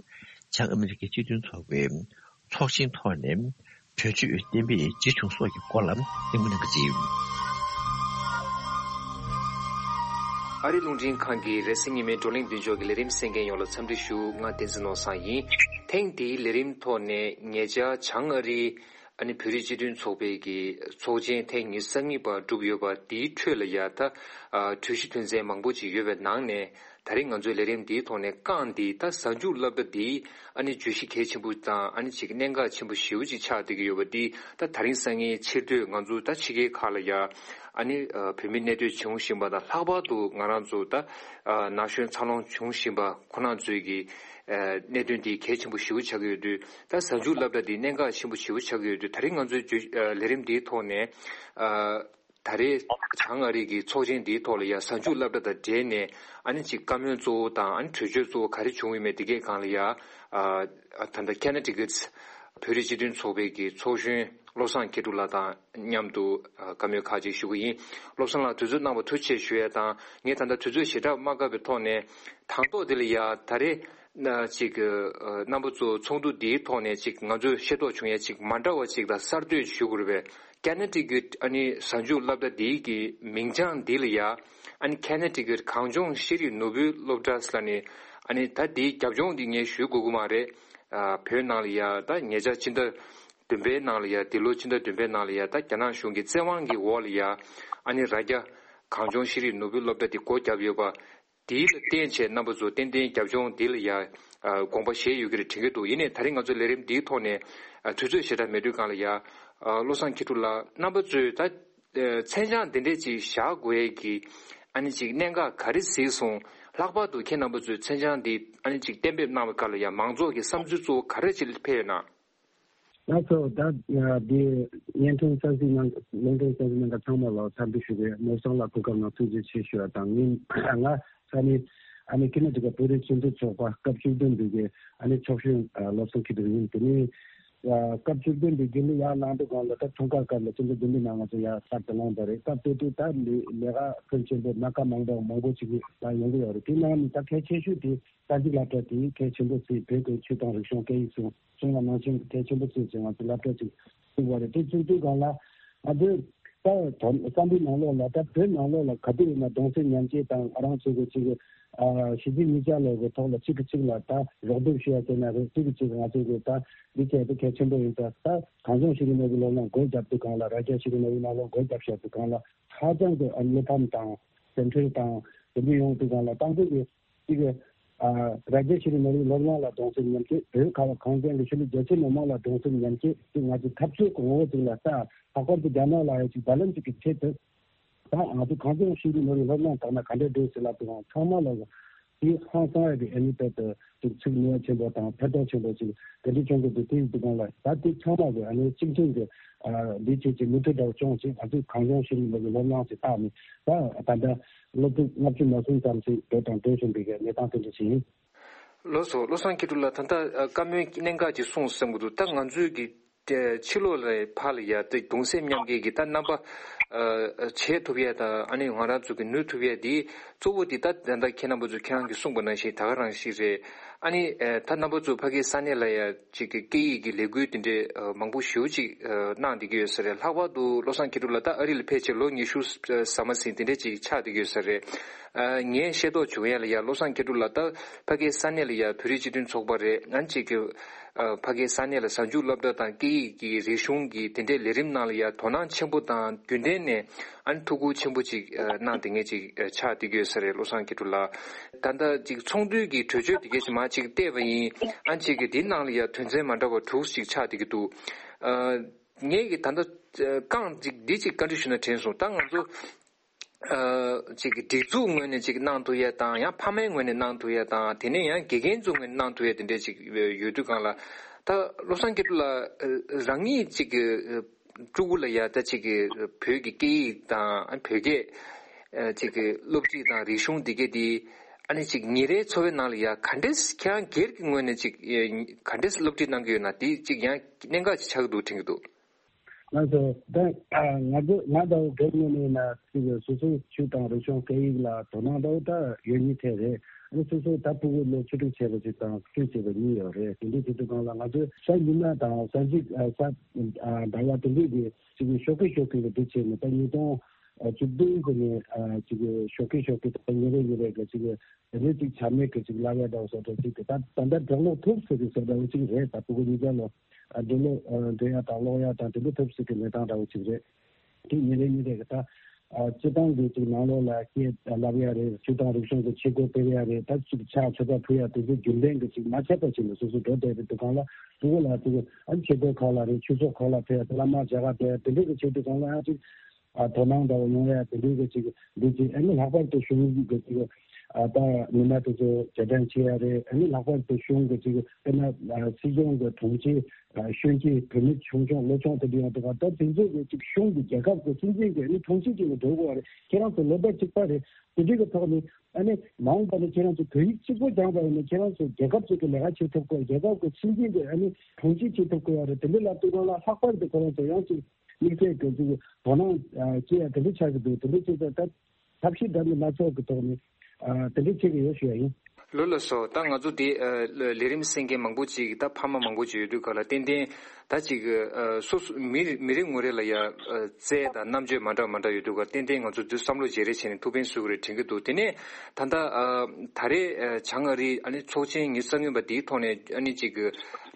བྱང་ཨ་མི་རི་ཀའི་སྤྱི་མཐུན་ཚོགས་པའི་ཚོགས་ཆེན་ཐོག་ནས་གྲོས་ཆོད་གཏན་འབེབས་ཇི་བྱུང་སོགས་ཀྱི་སྐོར་ལ་གླེང་མོལ་གནང་གི་ཡིན། ཨ་རིའི་རླུང་འཕྲིན་ཁང་གི་རེས་གཟའ་ཉི་མའི་བགྲོ་གླེང་མདུན་ཕྱོགས་ཀྱི་ལས་རིམ་གསན་མཁན་ཡོངས་ལ་འཚམས་འདྲི་ཞུ། ང་བསྟན་འཛིན་ནོར་བཟང་ཡིན། ཐེངས་འདིའི་ལས་རིམ་ཐོག་ནས་ཉེ་ཆར་བྱང་ཨ་རིའི་ཨ་ནི་བོད་རིགས་སྤྱི་མཐུན་ཚོགས་པའི་གི་ཚོགས་ཆེན་ཐེངས་ཉི་ཤུ་རྩ་གཉིས་པ་གྲུབ་ཡོད་པ་དེའི་ཁྲོད་ལ་ཡ་ད་ཨ་གྲོས་གཞི་དོན་ཚན་མང་པོ་ཅིག་ཡོད་པའི་ནང་ནས། ད་རེས་ང་ཚོའི་ལས་རིམ་འདིའི་ཐོག་ནས་རྐང་འདི་ད་གཟའ་མཇུག་སློབ་གྲྭ་འདིའི་ཨ་ནི་བརྗོད་གཞི་གལ་ཆེན་པོ་དང་། ཨ་ནི་ཅིག་གནད་འགག་ཆེན་པོ་ཞེ་པོ་ཅིག་ཆགས་བསྡད་ཀྱི་ཡོད་པ་འདི། ད་ད་རིང་སང་ཉིན་ཕྱིར་སྡོད་ང་ཚོ་ད་ཕྱི་རྒྱལ་ཁག་ལ་ཡ་ཨ་ནི་བོད་མི་གནས་སྡོད་བྱུང་བཞིན་པ་དང་། ལྷག་པར་དུ་ང་རང་ཚོ་ད་ན་གཞོན་འཚར་ལོངས་བྱུང་བཞིན་པ་ཁོ་རང་ཚོའི་གི་གནད་དོན་འདི་གལ་ཆེན་པོ་ཞེ་པོ་ཆགས་ཀྱི་ཡོད་དུས། ད་གཟའ་མཇུག་སློབ་གྲྭ་འདི་གནད་འགག་ཆེན་པོ་ཞེ་པོ་ཆགས་ཀྱི་ཡོད་དུས། ད་རིང་ང་ཚོའི་ལས་རིམ་འདིའི་ཐོག་ནས། ད་རེས་བྱང་ཨ་རི་གི་ཚོགས་ཆེན་འདིའི་ཐོག་ལ་ཡ་གཟའ་མཇུག་སློབ་གྲྭ་དང་འབྲེལ་ནས་ཨ་ནི་ཅིག་བཀའ་མོལ་གཙོ་བོ་དང་། ཨ་ནི་གྲོས་ཆོད་གཙོ་བོ་ག་རེ་བྱུང་ཡོད་མེད་འདི་གའི་སྒང་ལ་ཡ། ཨ་ད་ལྟ་ཁེ་ན་ཊི་ཀེ་ཊི་བོད་རིགས་སྤྱི་མཐུན་ཚོགས་པའི་གི་ཚོགས་གཞོན་བློ་བཟང་མཁས་གྲུབ་ལགས་དང་མཉམ་དུ་ཨ་བཀའ་མོལ་ཁག་ཅིག་ཞུ་གི་ཡིན། བློ་བཟང་ལགས་དུས་ཚོད་གནང་བར་ཐུགས་རྗེ་ཆེ་ཞུ་ཡས་དང་། ངས་ད་ལྟ་དུས་ཚོད་ཞེ་དྲག་མ་བཀག་པའི་ཐོག་ནས། དང་ཐོག་འདི་ལ་ཡ་ད་རེས་ན་ཅིག་ཨ་རྣམ་པ་ཚོ་ཚོགས་འདུ་འདིའི་ཐོག་ནས་ཅིག་ང་ཚོས་ཤེས་རྟོགས་བྱུང་ཡ་ཅིག་མ་འདྲ་བ་ཅིག་དང་གསར་གཏོད་ཞུ་དགོས་རེད་པས། ཁེ་ན་ཊི་ཀེ་ཊི་ཨ་ནི་གཟའ་མཇུག་སློབ་གྲྭ་འདིའི་གི་མིང་བྱང་འདི་ལ་ཡ་ཨ་ནི་ཁེ་ན་ཊི་ཀེ་ཊི་གངས་ལྗོངས་ཤེས་རིག་ནོར་བུའི་སློབ་གྲྭ་ཟེར་ནས། ཨ་ནི་ད་འདིའི་རྒྱབ་ལྗོངས་འདི་ངས་ཞུ་དགོས་ཀྱི་མ་རེད། ཨ་བོད་ནང་ལ་ཡ་ད་ཉེ་ཆར་ཕྱི་ཟླ་བདུན་པའི་ནང་ལ་ཡ། འདི་ལོ་ཕྱི་ཟླ་བདུན་པའི་ནང་ལ་ཡ་ད་རྒྱ་ནག་གཞུང་གི་བཙན་དབང་གི་འོག་ལ་ཡ་ཨ་ནི་རྭ་རྒྱ་གངས་ལྗོངས་ཤེས་རིག་ནོར་བུའི་སློབ་གྲྭ་འདི་སྒོ་བརྒྱབ་ཡོད་པ། དེ་ལ་བརྟེན་བྱས་རྣམ་པ་ཚོ་ཏན་ཏན་རྒྱབ་ལྗོངས་འདི་ལ་ཡ་ཨ་དགོངས་པ་བཞེས་ཡོད་ཀྱི་རེད་དྲན་གྱི་འདུག་ཡིན་ནའི་ད་རིང་ང་ཚོའི་ལས་རིམ་འདིའི་ཐོག་ནས་ཨ་དུས་ཚོད་ཞེ་དྲག་མེད་དུས་སྒང་ལ་ཡ། ཨ་བློ་བཟང་མཁས་གྲུབ་ལགས། རྣམ་པ་ཚོས་ད་ཨ་མཚན་བྱང་འདི་འདྲས་ཅིག་བཞག་དགོས་ཀྱི་ཨ་ནི་ཅིག་གནད་འགག་ག་རེ་གཟིགས་སོང་། ལྷག་པར་དུ་ཁྱེད་རྣམ་པ་ཚོས་མཚན་བྱང་འདི་ཨ་ནི་ཅིག་གཏན་འབེབས་གནང་བའི་སྐབས་ལ་ཡ་མང་ཚོགས་ཀྱི་བསམ་ཚུལ་གཙོ་བོ་ག་རེ་ཅིག་ཕེབས་ཡོད་ན། ལགས་སོ། ད་འདི་བརྙན་འཕྲིན་གསར་གཟིགས་གནང་། རླུང་འཕྲིན་གསར་གཟིགས་གནང་མཁན་ཚང་མ་ལ་འཚམས་འདྲི་ཞུ་གི་ཡོད། ནོར་བཟང་ལགས་སྐུ་ཁམས་བཟང་། ཐུགས་རྗེ་ཆེ་ཞུ་བ་དང་། ངས་ང་ས་གནས་ཨ་ནི་ཁེ་ན་ཊི་ཀེ་ཊི་བོད་རིགས་སྤྱི་མཐུན་ཚོགས་པ་སྐབས་བཅུ་བདུན་པའི་གི་ཨ་ནི་ཚོགས་གཞོན་ཨ་བློ་བཟང་མཁས་གྲུབ་ཡིན། དེ་ནས་ཨ་སྐབས་བཅུ་བདུན་པའི་རྒྱུན་ལས་ཡར་ལངས་དུས་སྒང་ལ་ད་འཁྲུངས་སྐར་སྐབས་ལ་སྤྱི་ཟླ་བདུན་པའི་ནང་ང་ཚོ་ཡར་གསར་དུ་ལངས་པ་རེད། སྐབས་དེ་དུས་ད་ལས་ལས་ཀ་ཕོན་ཆེན་པོ་སྣ་ཁ་མང་པོ་མང་པོ་ཅིག་ད་ཡོང་གི་ཡོད་རེད། དེ་ནང་ནས་ད་གལ་ཆེ་ཤོས་དེ་གསར་འགྱུར་སློབ་གྲྭ་དེ་གལ་ཆེན་པོ་བརྩིས། བོད་ཀྱི་ཆོས་དང་རིག་གཞུང་སྐད་ཡིག་སོགས། གཞུང་ལ་ནང་བཞིན་གལ་ཆེན་པོ་བརྩིས་ཏེ་ང་ཚོ་སློབ་གྲྭ་ཅིག་བཙུགས་པ་རེད། དེ་བཙུགས་དུས་སྒང་ལ་ང་ཚོས་ད་དོ་བསམ་པའི་ནང་ལོགས་ལ། ད་བོད་ནང་ལོགས་ལ་ག་དུས་ཡིན་ན་གདུང་སེམས་མཉམ་སྐྱེད་དང་། ང་རང་ཚོ་གི་ཅིག་ཨ་གཞིས་བྱེས་གཉིས་ཆ་ལོག་གི་ཐོག་ལ་གཅིག་གིས་གཅིག་ལ་ད་རོགས་འདེགས་ཞུ་ཡ་བྱས་ན་རེད། གཅིག་གིས་གཅིག་ང་ཚོ་གི་ད་འདི་བྱས་ཏེ་གལ་ཆེན་པོ་ཡིན་ཙང་། ད་གངས་ལྗོངས་ཤེས་རིག་ནོར་བུའི་སློབ་གླིང་སྒོ་བརྒྱབ་དུས་སྒང་ལ། རྭ་རྒྱ་ཤེས་རིག་ནོར་བུའི་སློབ་གླིང་སྒོ་བརྒྱབ་བཞག་དུས་སྒང་ལ། ཧ་ཅང་གི་ཨ་བློ་ཕམ་དང་། དེ་འཕྲལ་དང་དེ་འདྲ་ཡོང་དུས་སྒང་ལ། དང་པོ་གི་གཅིག་གི་ཨ་རྭ་རྒྱ་ཤེས་རིག་ནོར་བུའི་སློབ་གླིང་ལ་གདུང་སེམས་མཉམ་སྐྱེད། བོད་ཁ་བ་གངས་ཅན་གྱི་ཆོས་ལུགས་རྒྱ་ཆེ་མི་མང་ལ་གདུང་སེམས་མཉམ་སྐྱེད་ཅིག་ང་ཚོས་འཐབ་རྩོད་ཀྱི་ངོ་བོ་ཅིག་ལ་ལྟ། ལྷག་པར་དུ་རྒྱ་ནག་ལ་ཡང་ཅིག་བརྡ་ལན་ཅིག་གི་ཆེད་དུ། ད་ང་ཚོ་གངས་ལྗོངས་ཤེས་རིག་ནོར་བུའི་སློབ་གླིང་དག་ན་ག་འདྲ་འདུག་ཟེར་ལབ་དུས་སྒང་ཚང་མ་ལ་དེ་ཧང་སང་ཡ་གི་ཨ་ནི་དཔེ་དེ་ཅིག་ཚིག་ནུས་པ་ཆེན་པོ་དང་ཕན་ཐོགས་ཆེན་པོ་ཅིག་དེ་འདྲ་བྱུང་གི་འདུག་དེ་ཡིན་དུས་སྒང་ལ་ད་དེ་ཚང་མ་གི་ཨ་ནི་གཅིག་མཐུན་གྱི་ཨ་འདི་བྱེད་ཀྱི་མུ་མཐུད་དུ་སྐྱོང་ཅིག་ང་ཚོས་གངས་ལྗོངས་ཤེས་རིག་ནོར་བུའི་སློབ་གླིང་ཟེར་བཏགས་ནས། ད་ད་ལྟ་སློབ་ཕྲུག་ལྔ་བཅུ་ང་གསུམ་ཙམ་ཞིག་འགྲོ་དང་འགྲོ་བཞིན་པའི་གནས་སྟངས་དེ་འདྲ་ཞིག་ཡིན། ལགས་སོ། བློ་བཟང་མཁས་གྲུབ་ལགས། ད་ལྟ་ཨ་བཀའ་མོལ་གནད་འགག་ཅིག་གསུངས་བསམ་གྱི་འདུག་ད་ང་ཚོས་ཀྱི་ཨ་ཕྱི་ལོགས་ལ་ཕར་ལ་ཡ་ད་གདུང་སེམས་མཉམ་སྐྱེད་ཀྱི་ད་རྣམ་པ་ཨ་བྱེད་ཐུབ་ཡ་དང་། ཨ་ནི་ང་རང་ཚོ་གི་ནུས་ཐུབ་ཡ་དེ་གཙོ་བོ་དེ་ད་ད་ལྟ་ཁྱེད་རྣམ་པ་ཚོ་ཁྱེད་རང་གིས་གསུངས་པ་ནང་བཞིན་ད་ག་རང་ཞིག་རེད། ཨ་ནི་ཨ་ད་རྣམ་པ་ཚོ་ཕ་གིའི་ས་གནས་ལ་ཡ་ཅིག་གི་སྐད་ཡིག་གི་ལས་འགུལ་དེ་འདྲའི་ཨ་མང་པོ་ཞེ་པོ་ཅིག་ཨ་གནང་བསྡད་ཀྱི་ཡོད་ས་རེད། ལྷག་པར་དུ་བློ་བཟང་མཁས་གྲུབ་ལགས་ད་ཨ་རི་ལ་ཕེབས་བྱས་ལོ་ཉི་ཤུ་ཟ་མ་ཟིན་དེ་འདྲ་ཅིག་ཆགས་བསྡད་ཀྱི་ཡོད་ས་རེད། ཨ་ངས་ཤེས་རྟོགས་བྱུང་ཡ་ལ་ཡ་བློ་བཟང་མཁས་གྲུབ་ལགས་ད་ཕ་གིའི་ས་གནས་ལ་ཡ་བོད་རིགས་སྤྱི་མཐུན་ཚོགས་པ་རེད། ང་གཅིག་གི་ཨ་ཕ་གིའི་ས་གནས་ལ་གཟའ་མཇུག་སློབ་གྲྭ་དང་སྐད་ཡིག་གི་རིག་གཞུང་གི་དེ་འདྲའི་ལས་རིམ་ནང་ལ་ཡ་དོ་སྣང་ཆེན་པོ་དང་རྒྱུན་ལྡན་ནས་ ཨ་ནི་ཐུགས་ཁུར་ཆེན་པོ་ཅིག་ཨ་གནང་བསྡད་མཁན་ཅིག་ཨ་ཆགས་བསྡད་ཀྱི་ཡོད་ས་རེད། བློ་བཟང་མཁས་གྲུབ་ལགས། ད་ལྟ་ཅིག་ཚོགས་འདུའི་གི་གྲོས་ཆོད་དེ་གས་ཅིག་མར་ཅིག་བལྟས་པ་ཡིན། ཨ་ནི་ཅིག་གི་དེའི་ནང་ལ་ཡ་དོན་ཚན་མ་འདྲ་བ་དྲུག་ཅིག་ཆགས་བསྡད་ཀྱི་འདུག་ཨ་ངས་གི་ད་ལྟ་ཨ་རྐང་ཅིག་འདི་ཅིག་བཀའ་འདྲི་ཞུ་ན་དྲན་སོང་། ད་ང་ཚོ་ཨ་ཅིག་གི་སྒྲིག་འཛུགས་ངོས་ནས་ཅིག་གནང་ཐུབ་ཡ་དང་། ཡང་ཕ་མའི་ངོས་ནས་གནང་ཐུབ་ཡ་དང་། དེ་ནས་ཡང་དགེ་རྒན་ཚོའི་ངོས་ནས་གནང་ཐུབ་ཡ་དེ་འདྲས་ཅིག་ཡོད་དུས་སྒང་ལ། ད་བློ་བཟང་མཁས་གྲུབ་ལགས་རང་ཉིད་ཅིག་གི་ཕྲུ་གུ་ལ་ཡ་ད་ཅིག་གི་བོད་ཀྱི་སྐད་ཡིག་དང་བོད་སྐད་ཅིག་གི་སློབ་ཁྲིད་དང་རིག་གཞུང་འདི་གས་དེ། ཨ་ནི་ཅིག་ཉིན་རེའི་འཚོ་བའི་ནང་ལ་ཡ་ག་འདྲས་ཁྱེད་རང་སྒེར་གྱི་ངོས་ནས་ཅིག་ག་འདྲས་སློབ་ཁྲིད་གནང་གི་ཡོད་ན། དེ་ཅིག་ཡང་གནད་འགག་ཅིག་ཆགས་ཀྱི་འདུག་དྲན་གྱི་འདུག་ང་ཚོ་ད་ང་ཚོ་ང་ད་བོད་ངོས་ནས་ན་ཅིག་སོ་སོའི་ཆོས་དང་རིག་གཞུང་སྐད་ཡིག་ལ་དོ་སྣང་འདྲ་བོ་ད་ཡོད་ཉིད་ཐད་རེད། ཨ་ནི་སོ་སོའི་ད་ཕྲུ་གུ་ལོ་བཅུ་དྲུག་བྱས་པ་ཅིག་དང་བཅུ་བྱས་པ་གཉིས་ཡོད་རེད། དེ་འདྲའི་དུས་ཚོད་སྒང་ལ་ང་ཚོས་ས་ཉི་མ་དང་ས་གཅིག་ས་ཟླ་བ་དེ་འདྲའི་གི་ཅིག་ཞོགས་ཀས་ཞོགས་ཀས་ལ་འདི་བྱས་ནས་ད་ཉིས་སྟོང་བཅུ་བདུན་གི་ནས་ཅིག་ཞོགས་ཀས་ཞོགས་ཀས་ད་ཉིན་རེ་ཉིན་རེ་གི་ཅིག་རེ་ཅིག་ཆ་མེད་ཀྱི་ཅིག་ལབ་ཡ་འདྲ་བོ་བཟོ་འདྲ་ཅིག་གི་ད་ད་ལྟ་འགྲོ་ལོག་ཐུབ་ཟེར་གི་བཟོ་འདྲ་བོ་ཅིག་རེད། ད་ཕྲུ་གུ་གཉིས་ཀ་ལོ་འགྲོ་ལོག་འགྲོ་ཡ་དང་ལོག་ཡ་དང་དེ་འདྲ་ཐུབ་ཟེར་གི་གནས་སྟངས་འདྲ་བོ་ཅིག་རེད། དེ་ཉིན་རེ་ཉིན་རེ་གི་ད་སྤྱི་བཏང་གི་ཅིག་ནང་ལོགས་ལ་སྐད་ལབ་ཡ་རེད། སྤྱི་བཏང་རིག་གཞུང་གི་བྱེད་སྒོ་སྤེལ་ཡ་རེད། ད་ཅིག་ཕྱག་མཆོད་པ་ཕུལ་ཡ་དེ་ཚོ་རྒྱུན་ལྡན་གི་ཅིག་མ་ཆད་པ་ཅིག་ལ་སོ་སོ་འགྲོ་བསྡད་པའི་དུས་སྒང་ལ་ཕྲུ་གུ་ལ་ཅིག་ཨ་ནི་ཆོས་སྒོ་ཁག་ལ་རེད། ཆོས་ཚོགས་ཁག་ལ་ཕེབས་ཡ་བླ་མ་མཇལ་ཁ་ཕེབས་ཡ་དེ་འདྲ་གི་བྱེད་དུས་སྒང་ལ་ཡང་ཅིག་ཨ་དོ་སྣང་འདྲ་བོ་ཡོང་ཡ་དེ་འདྲའི་གི་ཅིག་འདི་ཅིག་ཨ་ནི་ལྷག་པར་དུ་གཞུང་གི་ཅིག་ཨ་ད་མི་སྣ་དེ་ཚོ་རྗེས་དྲན་བྱེད་ཡ་རེད། ཨ་ནི་ལྷག་པར་དུ་གཞུང་གི་ཅིག་དཔེར་ན་ཨ་སྲིད་སྐྱོང་གི་དྲུང་ཆེ་ཨ་གཞོན་སྐྱེས་བུད་མེད་ཆུང་ཆུང་ལོ་ཆུང་དེ་འདྲ་ཡོང་འདུག་ག་ད་དེ་ཚོ་གི་ཅིག་གཞུང་གི་རྒྱལ་ཁབ་གི་སྲིད་འཛིན་གི་ཨ་ནི་དྲུང་ཆེ་ཅིག་ལ་འགྲོ་དགོས་པ་རེད། ཁྱེད་རང་ཚོ་ལོ་ཟླ་གཅིག་པ་རེད། དེ་འདྲའི་གི་ཐོག་ནས་ཨ་ནི་མ་འོངས་པ་ནས་ཁྱེད་རང་ཚོ་བོད་ཡིག་གཅིག་པོ་སྦྱངས་པ་ཡིན་ན་ཁྱེད་རང་ཚོ་རྒྱལ་ཁབ་ཅིག་གི་ལས་ཀ་བྱེད་ཐུབ་དགོས། རྒྱལ་ཁབ་གི་སྲིད་འཛིན་གི་ཨ་ནི་དྲུང་ཆེ་བྱེད་ཐུབ་དགོས་པ་རེད། དེ་འདྲ་ལབ་དུས་སྒང་ལ་ལྷག་པར་དུ་ཁོ་རང་ཚོ་ཡང་ཅིག་དམིགས་བསལ་གྱི་ཅིག་དོ་སྣང་ཨ་སྐྱེ་ཡ་དེ་འདྲ་ཆགས་ཀྱི་འདུག་དེ་འདྲ་བྱས་ཙང་ད་ཐབས་ཤེས་འདྲ་མིན་སྣ་ཚོགས་ཀྱི་ཐོག་ནས་ཨ་དེ་འདྲ་བྱེད་ཀྱི་ཡོད་ཞུ་ཡ་ཡིན། ལགས་ལགས་སོ། ད་ང་ཚོ་དེ་ཨ་ལས་རིམ་གསན་མཁན་མང་པོ་ཅིག་ད་ཕ་མ་མང་པོ་ཅིག་ཡོད་དུས་ག་ལ་ཏན་ཏན་ད་ཅིག་ཨ་སོ་སོ་མི་མི་རེ་ངོ་རེ་ལ་ཡ་ཨ་རྩལ་དང་རྣམ་དཔྱོད་མ་འདྲ་མ་འདྲ་ཡོད་དུས་ག་ལ་ཏན་ཏན་ང་ཚོ་འདི་བསམ་བློ་བརྗེ་རེས་བྱས་ནས་ཐུགས་ཕན་གསོས་ཀྱི་རེད་དྲན་གྱི་འདུག་དེ་ནས་ད་ལྟ་ཨ་ད་རེས་ཨ་བྱང་ཨ་རིའི་ཨ་ནི་ཚོགས་ཆེན་ཉི་ཤུ་རྩ་གཉིས་པ་དེའི་ཐོག་ནས་ཨ་ནི་ཅིག་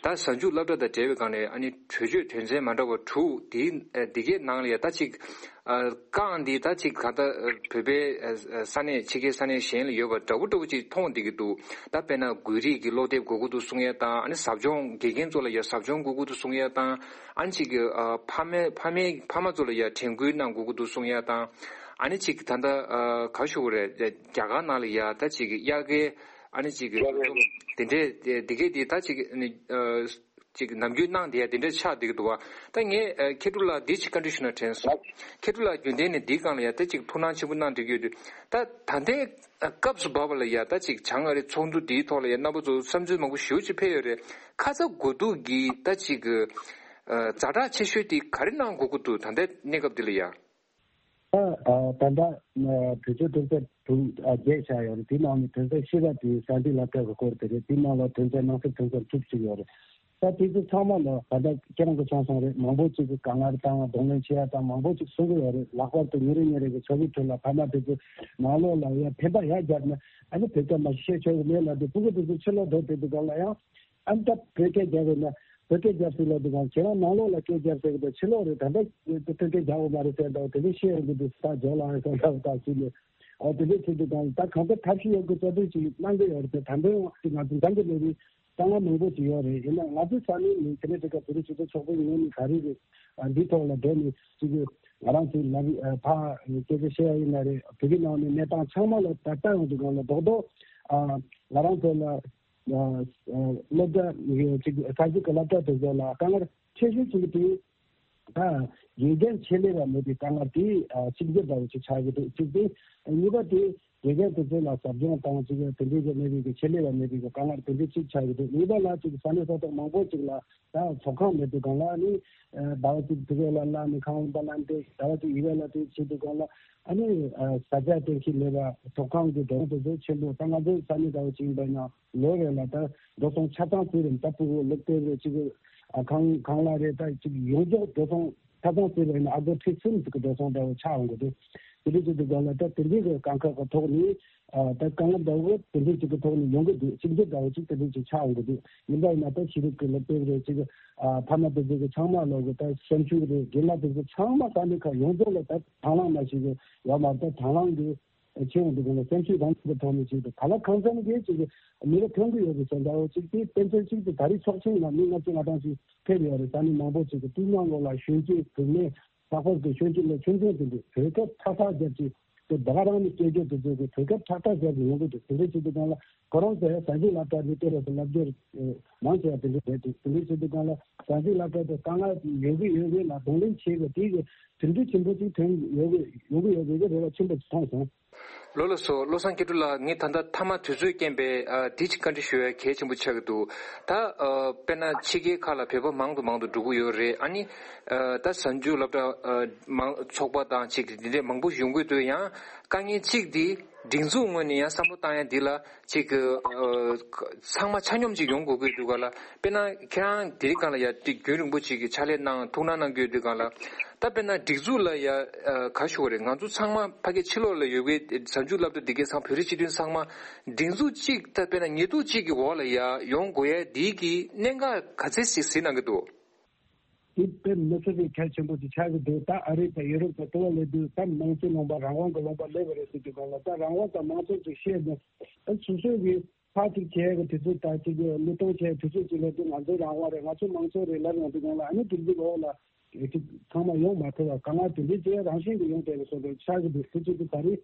ད་གཟའ་མཇུག་སློབ་གྲྭ་དང་འབྲེལ་བའི་སྒང་ནས་ཨ་ནི་གྲོས་ཆོད་དོན་ཚན་མ་འདྲ་བ་དྲུག་དེའི་ཨ་འདི་གའི་ནང་ལ་ཡ་ད་ཅིག་ཨ་རྐང་འདི་ད་ཅིག་ག་ད་ཨ་བོད་པའི་ཨ་ཨ་ས་གནས་ཕྱི་རྒྱལ་ས་གནས་གཞན་ལ་ཡོད་པ་འདྲ་པོ་འདྲ་པོ་ཅིག་མཐོང་བསྡད་ཀྱི་འདུག་ད་དཔེར་ན་འགུལ་རིས་ཀྱི་སློབ་དེབ་དགོས་ཀྱི་འདུག་གསུང་ཡ་དང་། ཨ་ནི་ཟབ་སྦྱོང་དགེ་རྒན་ཚོ་ལ་ཡ་ཟབ་སྦྱོང་དགོས་ཀྱི་འདུག་གསུང་ཡ་དང་། ཨ་ནི་ཅིག་ཨ་ཕ་མའི་ཕ་མའི་ཕ་མ་ཚོ་ལ་ཡ་དྲན་སྐུལ་གནང་དགོས་ཀྱི་འདུག་གསུང་ཡ་དང་། ཨ་ནི་ཅིག་ད་ལྟ་ཨ་ག་ཞུ་དགོས་རེད། རྒྱ་གར་ནང་ལ་ཡ་ད་ཅིག་དབྱར་ཁའི་ཨ་ནི་ཅིག་དེ་འདྲའི་དེ་གས་དེ་ད་ཅིག་ཨ་ནི་ཨ་ཅིག་ནམ་རྒྱུན་གནང་བསྡད་ཡ་དེ་འདྲ་ཆགས་བསྡད་ཀྱི་འདུག་བ། ད་ངས་ཨ་མཁས་གྲུབ་ལགས་འདི་ཅིག་བཀའ་འདྲི་ཞུ་ན་དྲན་སོང་། མཁས་གྲུབ་ལགས་རྒྱུན་ལྡན་ནས་འདིའི་སྒང་ལ་ཡ་ད་ཅིག་ཐུགས་སྣང་ཆེན་པོ་གནང་བསྡད་ཀྱི་ཡོད་དུས། ད་ད་ལྟའི་ཨ་སྐབས་སུ་བབས་པ་ལ་ཡ་ད་ཅིག་བྱང་ཨ་རི་ཚོགས་འདུ་འདིའི་ཐོག་ལ་ཡ་རྣམ་པ་ཚོ་བསམ་ཚུལ་མང་པོ་ཞེ་པོ་ཅིག་ཕེབས་ཡོད་རེད། ཁ་ཚ་དགོས་གཏུགས་ཀྱི་ད་ཅིག་ཨ་ཛ་དྲག་ཆེ་ཤོས་དེ་ག་རེ་གནང་དགོས་ཀྱི་འདུག་ད་ལྟའི་གནས་སྐབས་འདི་ལ་ཡ། ད་ཨ་ད་ལྟ་ཨ་གྲོས་ཆོད་དོན་ཚན་དྲུག་ཨ་བརྒྱད་བཞག་ཡོད་རེད། དེའི་ནང་ནས་དོན་ཚན་བཞི་པ་དེ་གསར་འགྱུར་སློབ་གྲྭ་གི་སྐོར་དེ་རེད། དེའི་ནང་ལ་དོན་ཚན་ནང་གསེས་དོན་ཚན་དྲུག་ཅིག་ཡོད་རེད། ད་དེ་ཚོ་ཚང་མ་ལ་ད་ལྟ་ཁྱེད་རང་གིས་གསུངས་སོང་རེད། མང་པོ་ཅིག་གིས་དཀའ་ངལ་དང་གདོང་ལེན་བྱེད་ཡ་དང་མང་པོ་ཅིག་གསུང་གི་ཡོད་རེད། ལྷག་པར་དུ་ཉིན་རེ་ཉིན་རེ་གི་འཚོ་བའི་ཁྲོད་ལ་ཕ་མ་དེ་ཚོ་ནང་ལོགས་ལ་ཡ་ཕན་པ་ཡར་བརྒྱབ་ན་ཨ་ནི་བོད་སྐད་མ་བཤད་ཆོག་གི་མེད་ལབ་དུས་སྤུ་གུ་དེ་ཚོ་ཕྱི་ལོགས་འགྲོ་བསྡད་དུས་སྒང་ལ་ཡང་། ཨ་ནི་ད་བོད་སྐད་རྒྱབ་ཡོད་ན་བོད་སྐད་རྒྱབ་སྲིད་ལ་འདུག་གམ། ཁྱེད་རང་ནང་ལོགས་ལ་སྐད་རྒྱབ་ཟེར་གི་འདུག་ཕྱི་ལོགས་རེད། ད་ལྟ་བོད་སྐད་རྒྱབ་ཡོད་མ་རེད་ཟེར་འདུག་དེ་འདྲ་བཤད་ཡོང་གི་འདུག་ད་ཇོ་ལགས་ཟེར་འདུག་ད་ཅི་ནས་ཨོ་དེ་འདྲ་བྱེད་དུས་གང་ད་གང་ལྟར་ཐབས་ཤེས་ཡོད་དགུ་རྩ་དོན་ཅིག་གནང་གི་ཡོད་རེད། ད་ད་འདོན་ཅིག་ང་ཚོ་འདང་གི་མེད་པའི་དཀའ་ངལ་མང་པོ་ཅིག་ཡོད་རེད། ཡིན་ན་ང་ཚོའི་ས་གནས་ནས་ཀེ་ན་ཌ་ག་བོད་རིགས་སྤྱི་མཐུན་ཚོགས་པའི་ངོས་ནས་ག་རེ་རེད། འདིའི་ཐོག་ལ་འགྲོ་ནས་ཅིག་ང་རང་ཚོའི་ལ་ཕ་སྐད་ཆ་བཤད་ཡ་ཡིན་ན་རེད། བོད་ཀྱི་ནང་ནས་གནས་སྟངས་ཚང་མ་ལ་ད་ལྟ་ཡོང་དུས་གང་ལ་རྡོག་རྡོག་ང་རང་ཚོ་ལ། སློབ་གྲྭ་ཅིག་ས་གཞི་གི་སློབ་གྲྭ་དེ་ཚོ་ལ་དཀའ་ངལ་ཆེ་ཤོས་ཅིག་དེ་ད་དགེ་རྒན་ཆེད་ལས་པ་མེད་པའི་དཀའ་ངལ་དེ་གཅིག་གྱུར་འདྲ་བོ་ཅིག་ཆགས་ཀྱི་འདུག་གཅིག་དེ་གཉིས་པ་དེ་དགེ་རྒན་དེ་ཚོ་ལ་ཟབ་སྦྱོང་དང་ཅིག་དེ་འདྲའི་གི་མེད་པའི་གི་ཆེད་ལས་པ་མེད་པའི་གི་དཀའ་ངལ་དེ་འདྲའི་གཅིག་ཆགས་ཀྱི་འདུག་གཉིས་པ་ལ་ཅིག་ས་གནས་ས་ཐོག་མང་པོ་ཅིག་ལ་ད་ཚོགས་ཁང་མེད་དུས་གང་ལ་ནི་ཟླ་བ་གཅིག་དེ་ག་ལ་ལ་ནི་ཁང་པ་ལ་འདྲེ་ཟླ་བ་གཅིག་ཡི་ག་ལ་དེ་བྱེད་དུས་གང་ལ་ཨ་ནི་ས་ཆ་གཏན་འཁེལ་མེད་པ་ཚོགས་ཁང་གི་འགྲོ་སོང་དེ་ཚོ་ཆེན་པོ་ད་ང་ཚོའི་ས་གནས་ཟླ་བ་གཅིག་ཡིན་པ་ཡིན་ན། ལོ་རེ་ལ་ད་འགྲོ་སོང་ཆ་ཚང་ཙམ་རེ་ད་ཕྲུ་གུ་སློབ་དེབ་རེ་གཅིག་ཨ་ཁང་ཁང་གླ་རེ་ད་གཅིག་ཡོངས་རྫོགས་འགྲོ་སོང་ཆ་ཚང་ཙམ་རེ་ན་ཨ་སྒོར་ཁྲི་གསུམ་ཙམ་གྱི་འགྲོ་སོང་འདྲ་བོ་ཆགས་འོང་གི་འདུག་དེ་འདྲ་བྱེད་དུས་སྒང་ལ་ད་དེ་འདྲའི་གི་དཀའ་ཁག་གི་ཐོག་ནས་ཨ་ད་དཀའ་ངལ་འདྲ་བོ་དེ་འདྲ་ཅིག་གི་ཐོག་ནས་ཡོང་གི་འདུག་གཅིག་གྱུར་འདྲ་བོ་ཅིག་དེ་འདྲ་ཅིག་ཆགས་ཡོང་གི་འདུག་ཡིན་པ་ཡིན་ན་ད་ཤེས་རིག་གི་སློབ་དེབ་རེད་ཅིག་ཨ་ཕ་མ་དེ་ཚོ་གི་ཚང་མ་ལོག་གི་ད་སེམས་ཤུགས་རེད། རྒན་ལགས་དེ་ཚོ་ཚང་མ་ས་གནས་ཁག་ཡོངས་རྫོགས་ལ་ད་དང་བླངས་མ་ཞིག་གི་ཡོད་མ་རེད། ད་དང་བླངས་གི་ཆེ་བོ་འདུག་ག་ལ་སེམས་ཤུགས་རང་གི་ཐོག་ནས་ཅིག་ད་ག་ལ་གང་འཚམ་གྱི་ཅིག་མི་རེ་ཐོན་གི་ཡོད་པའི་ས་འདྲ་བོ་ཅིག་དེ་དཔེ་མཚོན་ཅིག་ཏུ་ད་རེས་ཚོགས་ཆེན་ལ་མི་ལྔ་བཅུ་ང་གྲངས་ཅིག་ཕེབས་ཡོད་རེད། ས་གནས་མང་པོ་ཅིག་གི་དེའི་ནང་ལོགས་ལ་གཞོན་སྐྱེས་བུད་མེད་ལྷག་པར་དུ་གཞོན་སྐྱེས་ལ་ཆུང་ཆུང་དེ་འདྲས་བོད་སྐད་ཁྲག་ཁྲག་རྒྱབ་ཅིག་དེ་ད་ག་རང་ནས་སྐད་རྒྱབ་དེ་ཚོ་གི་བོད་སྐད་ཁྲག་ཁྲག་རྒྱབ་ཀྱི་ཡོང་གི་འདུག་དེ་འདྲས་བྱེད་དུས་སྒང་ལ་ཁོ་རང་ཚོས་གཟའ་མཇུག་སློབ་གྲྭ་ནས་ལྟེ་བ་དུ་བསླབ་བྱར་མང་ཆེ་བ་དེ་འདྲས་རེད་འདུག་དེ་འདྲས་བྱེད་དུས་སྒང་ལ་གཟའ་མཇུག་སློབ་གྲྭ་དེ་དཀའ་ངལ་ཡོད་གི་ཡོད་གི་ལ་གདོང་ལེན་བྱེད་དགོས་དེ་གི་དོན་འགྲུབ་ཆེན་པོ་ཅིག་ཐོན་ཡོད་གི་ཡོང་གི་ཡོད་པའི་རེ་བ་ཆེན་པོ་ཅིག་མཐོང་སོང་། ལོ་ལ་སོ་བློ་བཟང་སྐྱིད་གྲོལ་ལགས། ངས་ད་ལྟ་མཐའ་མ་དུས་ཚོད་རྐྱེན་པས་ཨ་འདི་ཅིག་བཀའ་འདྲི་ཞུ་ཡ་གལ་ཆེན་པོ་ཆགས་ཀྱི་འདུག་ད་ཨ་དཔེར་ན་ཕྱི་རྒྱལ་ཁག་ལ་བོད་པ་མང་དུ་མང་དུ་འགྲོ་གི་ཡོད་རེད། ཨ་ནི་ཨ་ད་གཟའ་མཇུག་སློབ་གྲྭ་ཨ་མང་ཚོགས་པ་དང་ཅིག་འདི་འདྲས་མང་པོ་ཡོང་གི་འདུག་ཡང་དཀའ་ངལ་གཅིག་འདི་སྒྲིག་འཛུགས་ངོས་ནས་ཡང་བསམ་བློ་བཏང་ཡ་འདི་ལ་ཅིག་ཨ་ཚང་མ་ཆ་སྙོམས་ཅིག་ཡོང་དགོས་ཀྱི་འདུག་ག་ལ། དཔེར་ན་ཁྱེད་རང་དེ་རིང་སྒང་ལ་ཡ་དེ་རྒྱུན་རིང་པོ་ཅིག་གི་ཕྱག་ལས་གནང་ཐུགས་སྣང་གནང་གི་ཡོད་དུས་སྒང་ལ། ད་དཔེར་ན་སྒྲིག་འཛུགས་ལ་ཡ་ཨ་ག་ཞུ་བ་རེད། ང་ཚོ་ཚང་མ་ཕ་གི་ཕྱི་ལོགས་ལ་ཡོད་པའི་གཟའ་མཇུག་སློབ་གྲྭ་འདི་གའི་ཚང་བོད་རིགས་སྤྱི་མཐུན་ཚང་མ་སྒྲིག་འཛུགས་གཅིག་ད་དཔེར་ན་ཉེས་འཛུགས་གཅིག་གི་འོག་ལ་ཡ་ཡོང་དགོས་ཡ་འདི་གི་གནད་འགག་ག་ཚད་ཞིག་གཟིགས་གནང་གི་འདུག་དེ་དཔེ་མི་སྲིད་པའི་གལ་ཆེན་པོ་ཅིག་ཆགས་ཀྱི་འདུག་ད་ཨ་རི་དང་ཡུ་རོབ་དང་ལྟ་བ་ལས་དུས་ད་མང་གཙོའི་ལུང་པ་རང་དབང་གི་ལུང་པ་སླེབས་པ་རེད་ཟེར་དུས་སྒང་ལ་ད་རང་དབང་དང་མང་གཙོ་ཅིག་བཤད་ནས་ད་སོ་སོ་གི་ཕར་ཅིག་བྱས་ཀྱི་དུས་ཚོད་དང་ཅིག་གི་བློས་གཏོང་བྱས་དུས་ཚོད་ཅིག་ལ་དུས་ང་ཚོའི་རང་དབང་རེད། ང་ཚོའི་མང་གཙོ་རེད་ལབ་ཡོང་དུས་སྒང་ལ་ཨ་ནི་དེ་འདྲའི་འོག་ལ་ཅིག་ཚང་མ་ཡོང་མ་ཐུབ་པ་དཀའ་ངལ་དེ་འདྲའི་ཅིག་རང་བཞིན་གྱིས་ཡོང་བསྡད་པའི་བཟོ་འདྲ་ཆགས་ཀྱི་འདུག་དེ་ཅིག་གི་ད་རེས་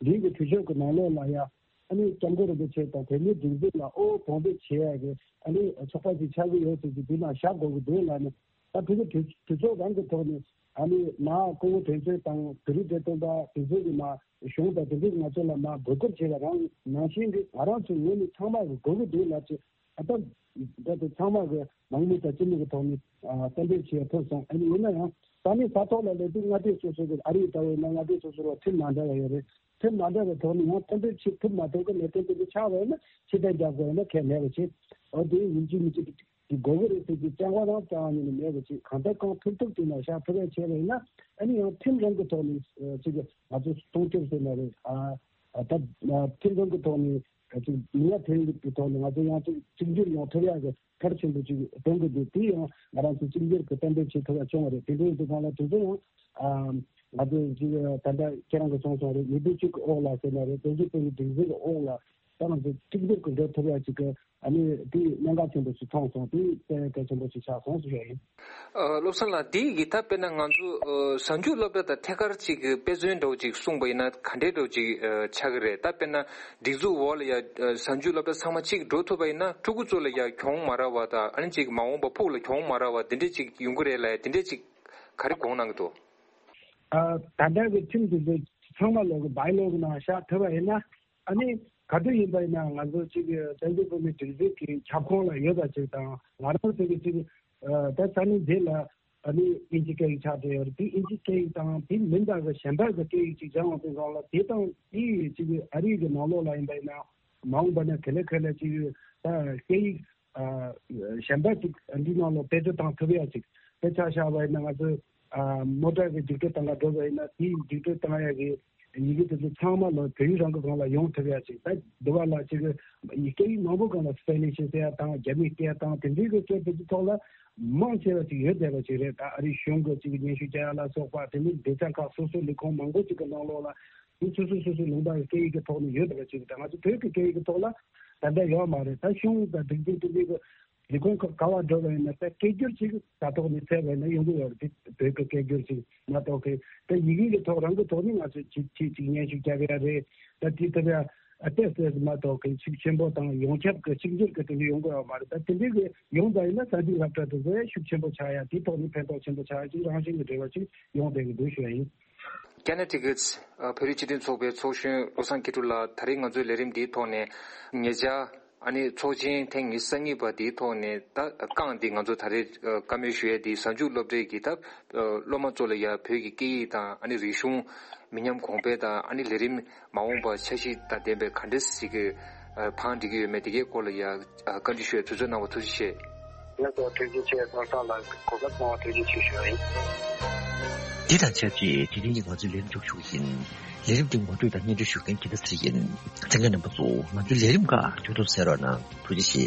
འདིའི་གི་དུས་ཚོད་ཀྱི་ནང་ལོགས་ལ་ཡ་ཨ་ནི་སྐྱབས་མགོན་རིན་པོ་ཆེ་དང་བོད་མིའི་སྒྲིག་འཛུགས་ལ་དབུ་བོ་འབོད་བྱེད་ཡ་གི་ཨ་ནི་ཚོགས་པ་ཅིག་ཆགས་ཀྱི་ཡོད་ཟེར་གྱི་འདི་ནང་བཞག་དགོས་ཀྱི་འདུག་ལབ་ནས། ད་དེ་གི་དུས་དུས་ཚོད་རང་གི་ཐོག་ནས་ཨ་ནི་མ་སྐུ་ངོ་དོན་གཅོད་དང་བོད་རིགས་བདེ་དོན་པ་དེ་ཚོ་གི་མ་གཞུང་དང་དེ་ཚོ་གི་ང་ཚོ་ལ་མ་བགོ་སྐུལ་བྱས་པ་རང་ནང་བཞིན་གྱི་ང་རང་ཚོའི་ངོས་ནས་ཚང་མ་གི་དགོས་ཀྱི་འདུག་ལབ་ཅིག་ཨ་ད་ད་དེ་ཚང་མ་གི་ནང་མི་དང་སྤྱི་མི་གི་ཐོག་ནས་ཨ་གཏན་འབེབས་བྱས་ཐུབ་སོང་། ཨ་ནི་ཡིན་ན་ཡང་ས་གནས་ས་ཐོག་ལ་སླེབས་དུས་མངའ་སྡེ་སོ་སོ་གི་ཨ་རི་ལྟ་བུ་ཡིན་ན་མངའ་སྡེ་སོ་སོ་ལ་ཁྲིམས་མ་འདྲ་བ་ཡོད་རེད། ཁྲིམས་མ་འདྲ་བའི་ཐོག་ནས་ཡང་གཏན་འབེབས་བྱེད་ཐུབ་མ་ཐུབ་ཀྱི་གནད་དོན་དེ་འདྲ་ཆགས་པ་ཡིན་ན་ཕྱིར་འཐེན་རྒྱག་དགོས་ཡིན་ན་ཁས་ལེན་པ་བྱེད། འོ་དེ་ཡིན་གཅིག་མིན་གཅིག་གི་དགོས་ཀྱི་རེད་ཟེར་གྱི་རྐྱང་པ་རང་རྐྱང་པ་ཉིད་ནས་མེད་པ་ཅིག་གང་ལྟར་གང་ཐུབ་ཐུབ་དེ་ནང་བཞག་ཐུབ་པ་བྱས་པ་ཡིན་ན་ཨ་ནི་ཡང་ཁྲིམས་རང་གི་ཐོག་ནས་ཅིག་ང་ཚོ་སྲུང་སྐྱོབ་ཟེར་ན་རེད། ཨ་ད་ཁྲིམས་རང་གི་ཐོག་ནས་ཅིག་མི་ཡ་ཐེ་གི་ཐོག་ནས་ང་ཚོ་ཡང་ཅིག་གཅིག་གྱུར་ཡོང་ཐུབ་ཡག་གི་གལ་ཆེན་པོ་ཅིག་མཐོང་གི་འདུག་དེ་ཡང་ང་རང་ཚོ་གཅིག་གྱུར་གྱི་གཏན་འབེབས་བྱེད་ཐུབ་ཡག་བྱུང་བ་རེད། དེ་འདྲའི་དུས་སྒང་ལ་དེ་ཚོ་ཡང་ང་ཚོ་ཅིག་ད་ལྟ་ཁྱེད་རང་གིས་གསུངས་སོང་རེད། ཉིས་སྟོང་གཅིག་གི་འོག་ལ་ཟེར་ན་རེད། བཙན་བྱོལ་བོད་མིའི་སྒྲིག་འཛུགས་ཀྱི་འོག་ལ་ད་ང་ཚོ་གཅིག་གྱུར་གྱི་འགྲོ་ཐུབ་ཡག་ཅིག་གི་ཨ་ནི་དེ་གནད་འགག་ཆེན་པོ་ཞིག་མཐོང་སོང་། དེ་དཔེ་གལ་ཆེན་པོ་ཞིག་ཆགས་སོང་ཟེར་ཡག་ཡིན། ཨ་བློ་བཟང་ལགས། འདི་ཡི་ད་དཔེར་ན་ང་ཚོ་ཨ་གཟའ་མཇུག་སློབ་གྲྭ་དང་ཐད་ཀར་ཅིག་གི་དཔེ་མཚོན་འདྲ་བོ་ཅིག་གསུངས་པ་ཡིན་ན་ག་འདྲའི་འདྲ་བོ་ཅིག་ཨ་ཆགས་ཀྱི་རེད། ད་དཔེར་ན་སྒྲིག་འཛུགས་འོག་ལ་ཡ་ཨ་གཟའ་མཇུག་སློབ་གྲྭ་ཚང་མ་གཅིག་འགྲོ་ཐུབ་པ་ཡིན་ན་ཕྲུ་གུ་ཚོ་ལ་ཡ་གྱོང་མ་རག་པ་དང་ཨ་ནི་ཅིག་མ་འོངས་པ་ཕུགས་ལ་གྱོང་མ་རག་པ་འདི་འདྲས་ཅིག་ཡོང་གི་རེད་ལབ་ཡ་དེ་འདྲས་ཅིག་ག་རེ་དགོངས་གནང་གི་འདུག་ཨ་ད་ལྟ་གི་ཁྲིམས་དེ་ཚོ་ཚང་མ་ལོག་གི་བའི་ལོ་གི་ནང་བཞག་ཐུབ་པ་ཡིན་ན། ཨ་ནི་ག་དུས་ཡིན་པ་ཡིན་ན་ང་ཚོ་གཅིག་བཙན་བྱོལ་བོད་མིའི་སྒྲིག་འཛུགས་ཀྱི་ཁྱབ་ཁོངས་ལ་ཡོད་པ་ཅིག་དང་ང་རང་ཚོ་གི་གཅིག་ཨ་ད་ས་གནས་འདི་ལ་ཨ་ནི་ཨིན་ཇི་སྐད་ཡིག་ཆགས་བསྡད་ཡོད་རེད། དེ་ཨིན་ཇི་སྐད་ཡིག་དང་དེ་མིན་པ་གི་གཞན་པ་གི་སྐད་ཡིག་ཅིག་སྦྱང་བ་དེ་སྒང་ལ་དེ་དང་དེ་གཅིག་ཨ་རི་གི་ནང་ལོགས་ལ་ཡིན་པ་ཡིན་ན་མ་འོངས་པ་ན་ག་ལེ་ག་ལེ་གཅིག་ད་སྐད་ཡིག་ཨ་གཞན་པ་ཅིག་འདི་ནང་ལ་བེད་སྤྱོད་བཏང་ཐུབ་ཡ་ཅིག་དཔེ་ཆ་བཞག་པ་ཡིན་ན་ང་ཚོ་ཨ་མོ་ཊ་གི་རྒྱུགས་སྤྲོད་གཏོང་ག་འགྲོ་བ་ཡིན་ན་དེའི་རྒྱུགས་སྤྲོད་གཏོང་ཡ་གི་ཡི་གེ་དེ་ཚོ་ཚང་མ་ལ་བོད་ཡིག་རང་གི་སྒང་ལ་ཡོང་ཐུབ་ཡ་ཅིག་ད་འདི་བ་ལ་ཅིག་སྐད་ཡིག་མང་པོ་སྒང་ལ་སི་པེ་ནིཤ་ཟེར་ཡ་དང་རྒྱ་མིའི་སྐད་དང་དེ་འདྲའི་གི་སྐད་དེ་ཚོ་ཐོག་ལ་མང་ཆེ་བ་ཅིག་ཡོད་བསྡད་པ་ཅིག་རེད། ད་ཨ་རིའི་གཞུང་གི་ཅིག་སྙན་ཞུ་རྒྱག་ཡ་ལ་སོགས་པ་དེ་ནི་སྡེ་ཚན་ཁག་སོ་སོའི་ལས་ཁུངས་མང་པོ་ཅིག་གི་ནང་ལོགས་ལ་དེ་སོ་སོ་སོ་སོའི་ལུང་པ་གི་སྐད་ཡིག་གི་ཐོག་ནས་ཡོད་པ་ཅིག་ད་ང་ཚོ་བོད་ཀྱི་སྐད་ཡིག་གི་ཐོག་ལ་ད་ལྟ་ཡོད་མ་རེད། ད་གཞུང་དང་སྒྲིག་འཛུགས་དེ་འདྲའི་གི་ལས་ཁུངས་ཁག་ག་བ་འགྲོ་བ་ཡིན་ན་ད་སྐད་སྒྱུར་ཅིག་ད་ཐོག་ནས་ཕེབས་པ་ཡིན་ན་ཡོང་གི་ཡོད་རེད། དེ་བོད་ཀྱི་སྐད་སྒྱུར་ཅིག་མ་གཏོགས་གི་ད་ཡི་གེ་གི་ཐོག་རང་གི་ཐོག་ནས་ང་ཚོས་ཅིག་ཅིག་ཅིག་སྙན་ཞུ་རྒྱག་ཡ་རེད། ད་དེ་ཐུབ་ཡ་ཨ་ཏེ་ཟེར་མ་གཏོགས་གི་ཤུགས་ཆེན་པོ་དང་ཡོངས་ཁྱབ་ཀྱི་གཅིག་གྱུར་གྱི་དེ་འདྲ་ཡོང་གི་ཡོད་མ་རེད། ད་དེ་འདྲའི་གི་ཡོང་པ་ཡིན་ན་གཟའ་མཇུག་སློབ་གྲྭ་དེ་ཚོ་ཤུགས་ཆེན་པོ་ཆགས་ཡ་དེའི་ཐོག་ནས་ཕན་ཐོགས་ཆེན་པོ་ཆགས་ཡ་ཅིག་རང་བཞིན་གྱི་འབྲེལ་བ་ཅིག་ཡོང་བསྡད་ཀྱི་འདུག་ཞུ་ཡ་ཡིན། ཀེ་ན་ཌ་གི་བོད་རིགས་སྤྱི་མཐུན་ཚོགས་པའི་ཚོགས་གཞོན་བློ་བཟང་སྐྱིད་གྲོལ་ལགས། ད་རེས་ང་ཚོའི་ལས་རིམ་འདིའི་ཐོག་ནས་ཉེ་ཆར་ཨ་ནི་ཚོགས་ཆེན་ཐེངས་ཉི་ཤུ་རྩ་གཉིས་པ་འདིའི་ཐོག་ནས་ད་རྐང་འདི་ང་ཚོ་ད་རེས་བཀའ་མོལ་ཞུ་ཡས་འདི་གཟའ་མཇུག་སློབ་གྲྭའི་གི་ད་སློབ་མ་ཚོ་ལ་ཡ་བོད་ཀྱི་སྐད་ཡིག་དང་ཨ་ནི་རིག་གཞུང་མི་ཉམས་གོང་འཕེལ་དང་ཨ་ནི་ལས་རིམ་མ་འོངས་པ་འཆར་གཞི་དང་ལྡན་པའི་ག་འདྲ་ཞིག་གི་བང་སྒྲིག་གི་ཡོད་མེད་དེ་གའི་སྐོར་ལ་ཡ་བཀའ་འདྲི་ཞུ་ཡས་དུས་ཚོད་གནང་བ་ཐུགས་རྗེ་ཆེ། ང་ཚོ་ཐུགས་རྗེ་ཆེ། བློ་བཟང་ལགས་གོ་སྐབས་གནང་བ་ཐུགས་རྗེ་ཆེ་ཞུ་ཡ་ཡིན། འདི་དང་ཆབས་ཅིག་དེ་རིང་གི་ང་ཚོའི་ལས་རིམ་མཇུག་ཞུ་གི་ཡིན། ལས་རིམ་འདི་ངོ་སྤྲོད་དང་སྙན་སྒྲོན་ཞུ་མཁན་དགེ་ལྡན་ཚེ་རིང་ཡིན། གསན་མཁན་རྣམ་པ་ཚོ་ང་ཚོའི་ལས་རིམ་ཁག་མཇུག་བསྡོམས་གསན་རོགས་གནང་། ཐུགས་རྗེ་ཆེ།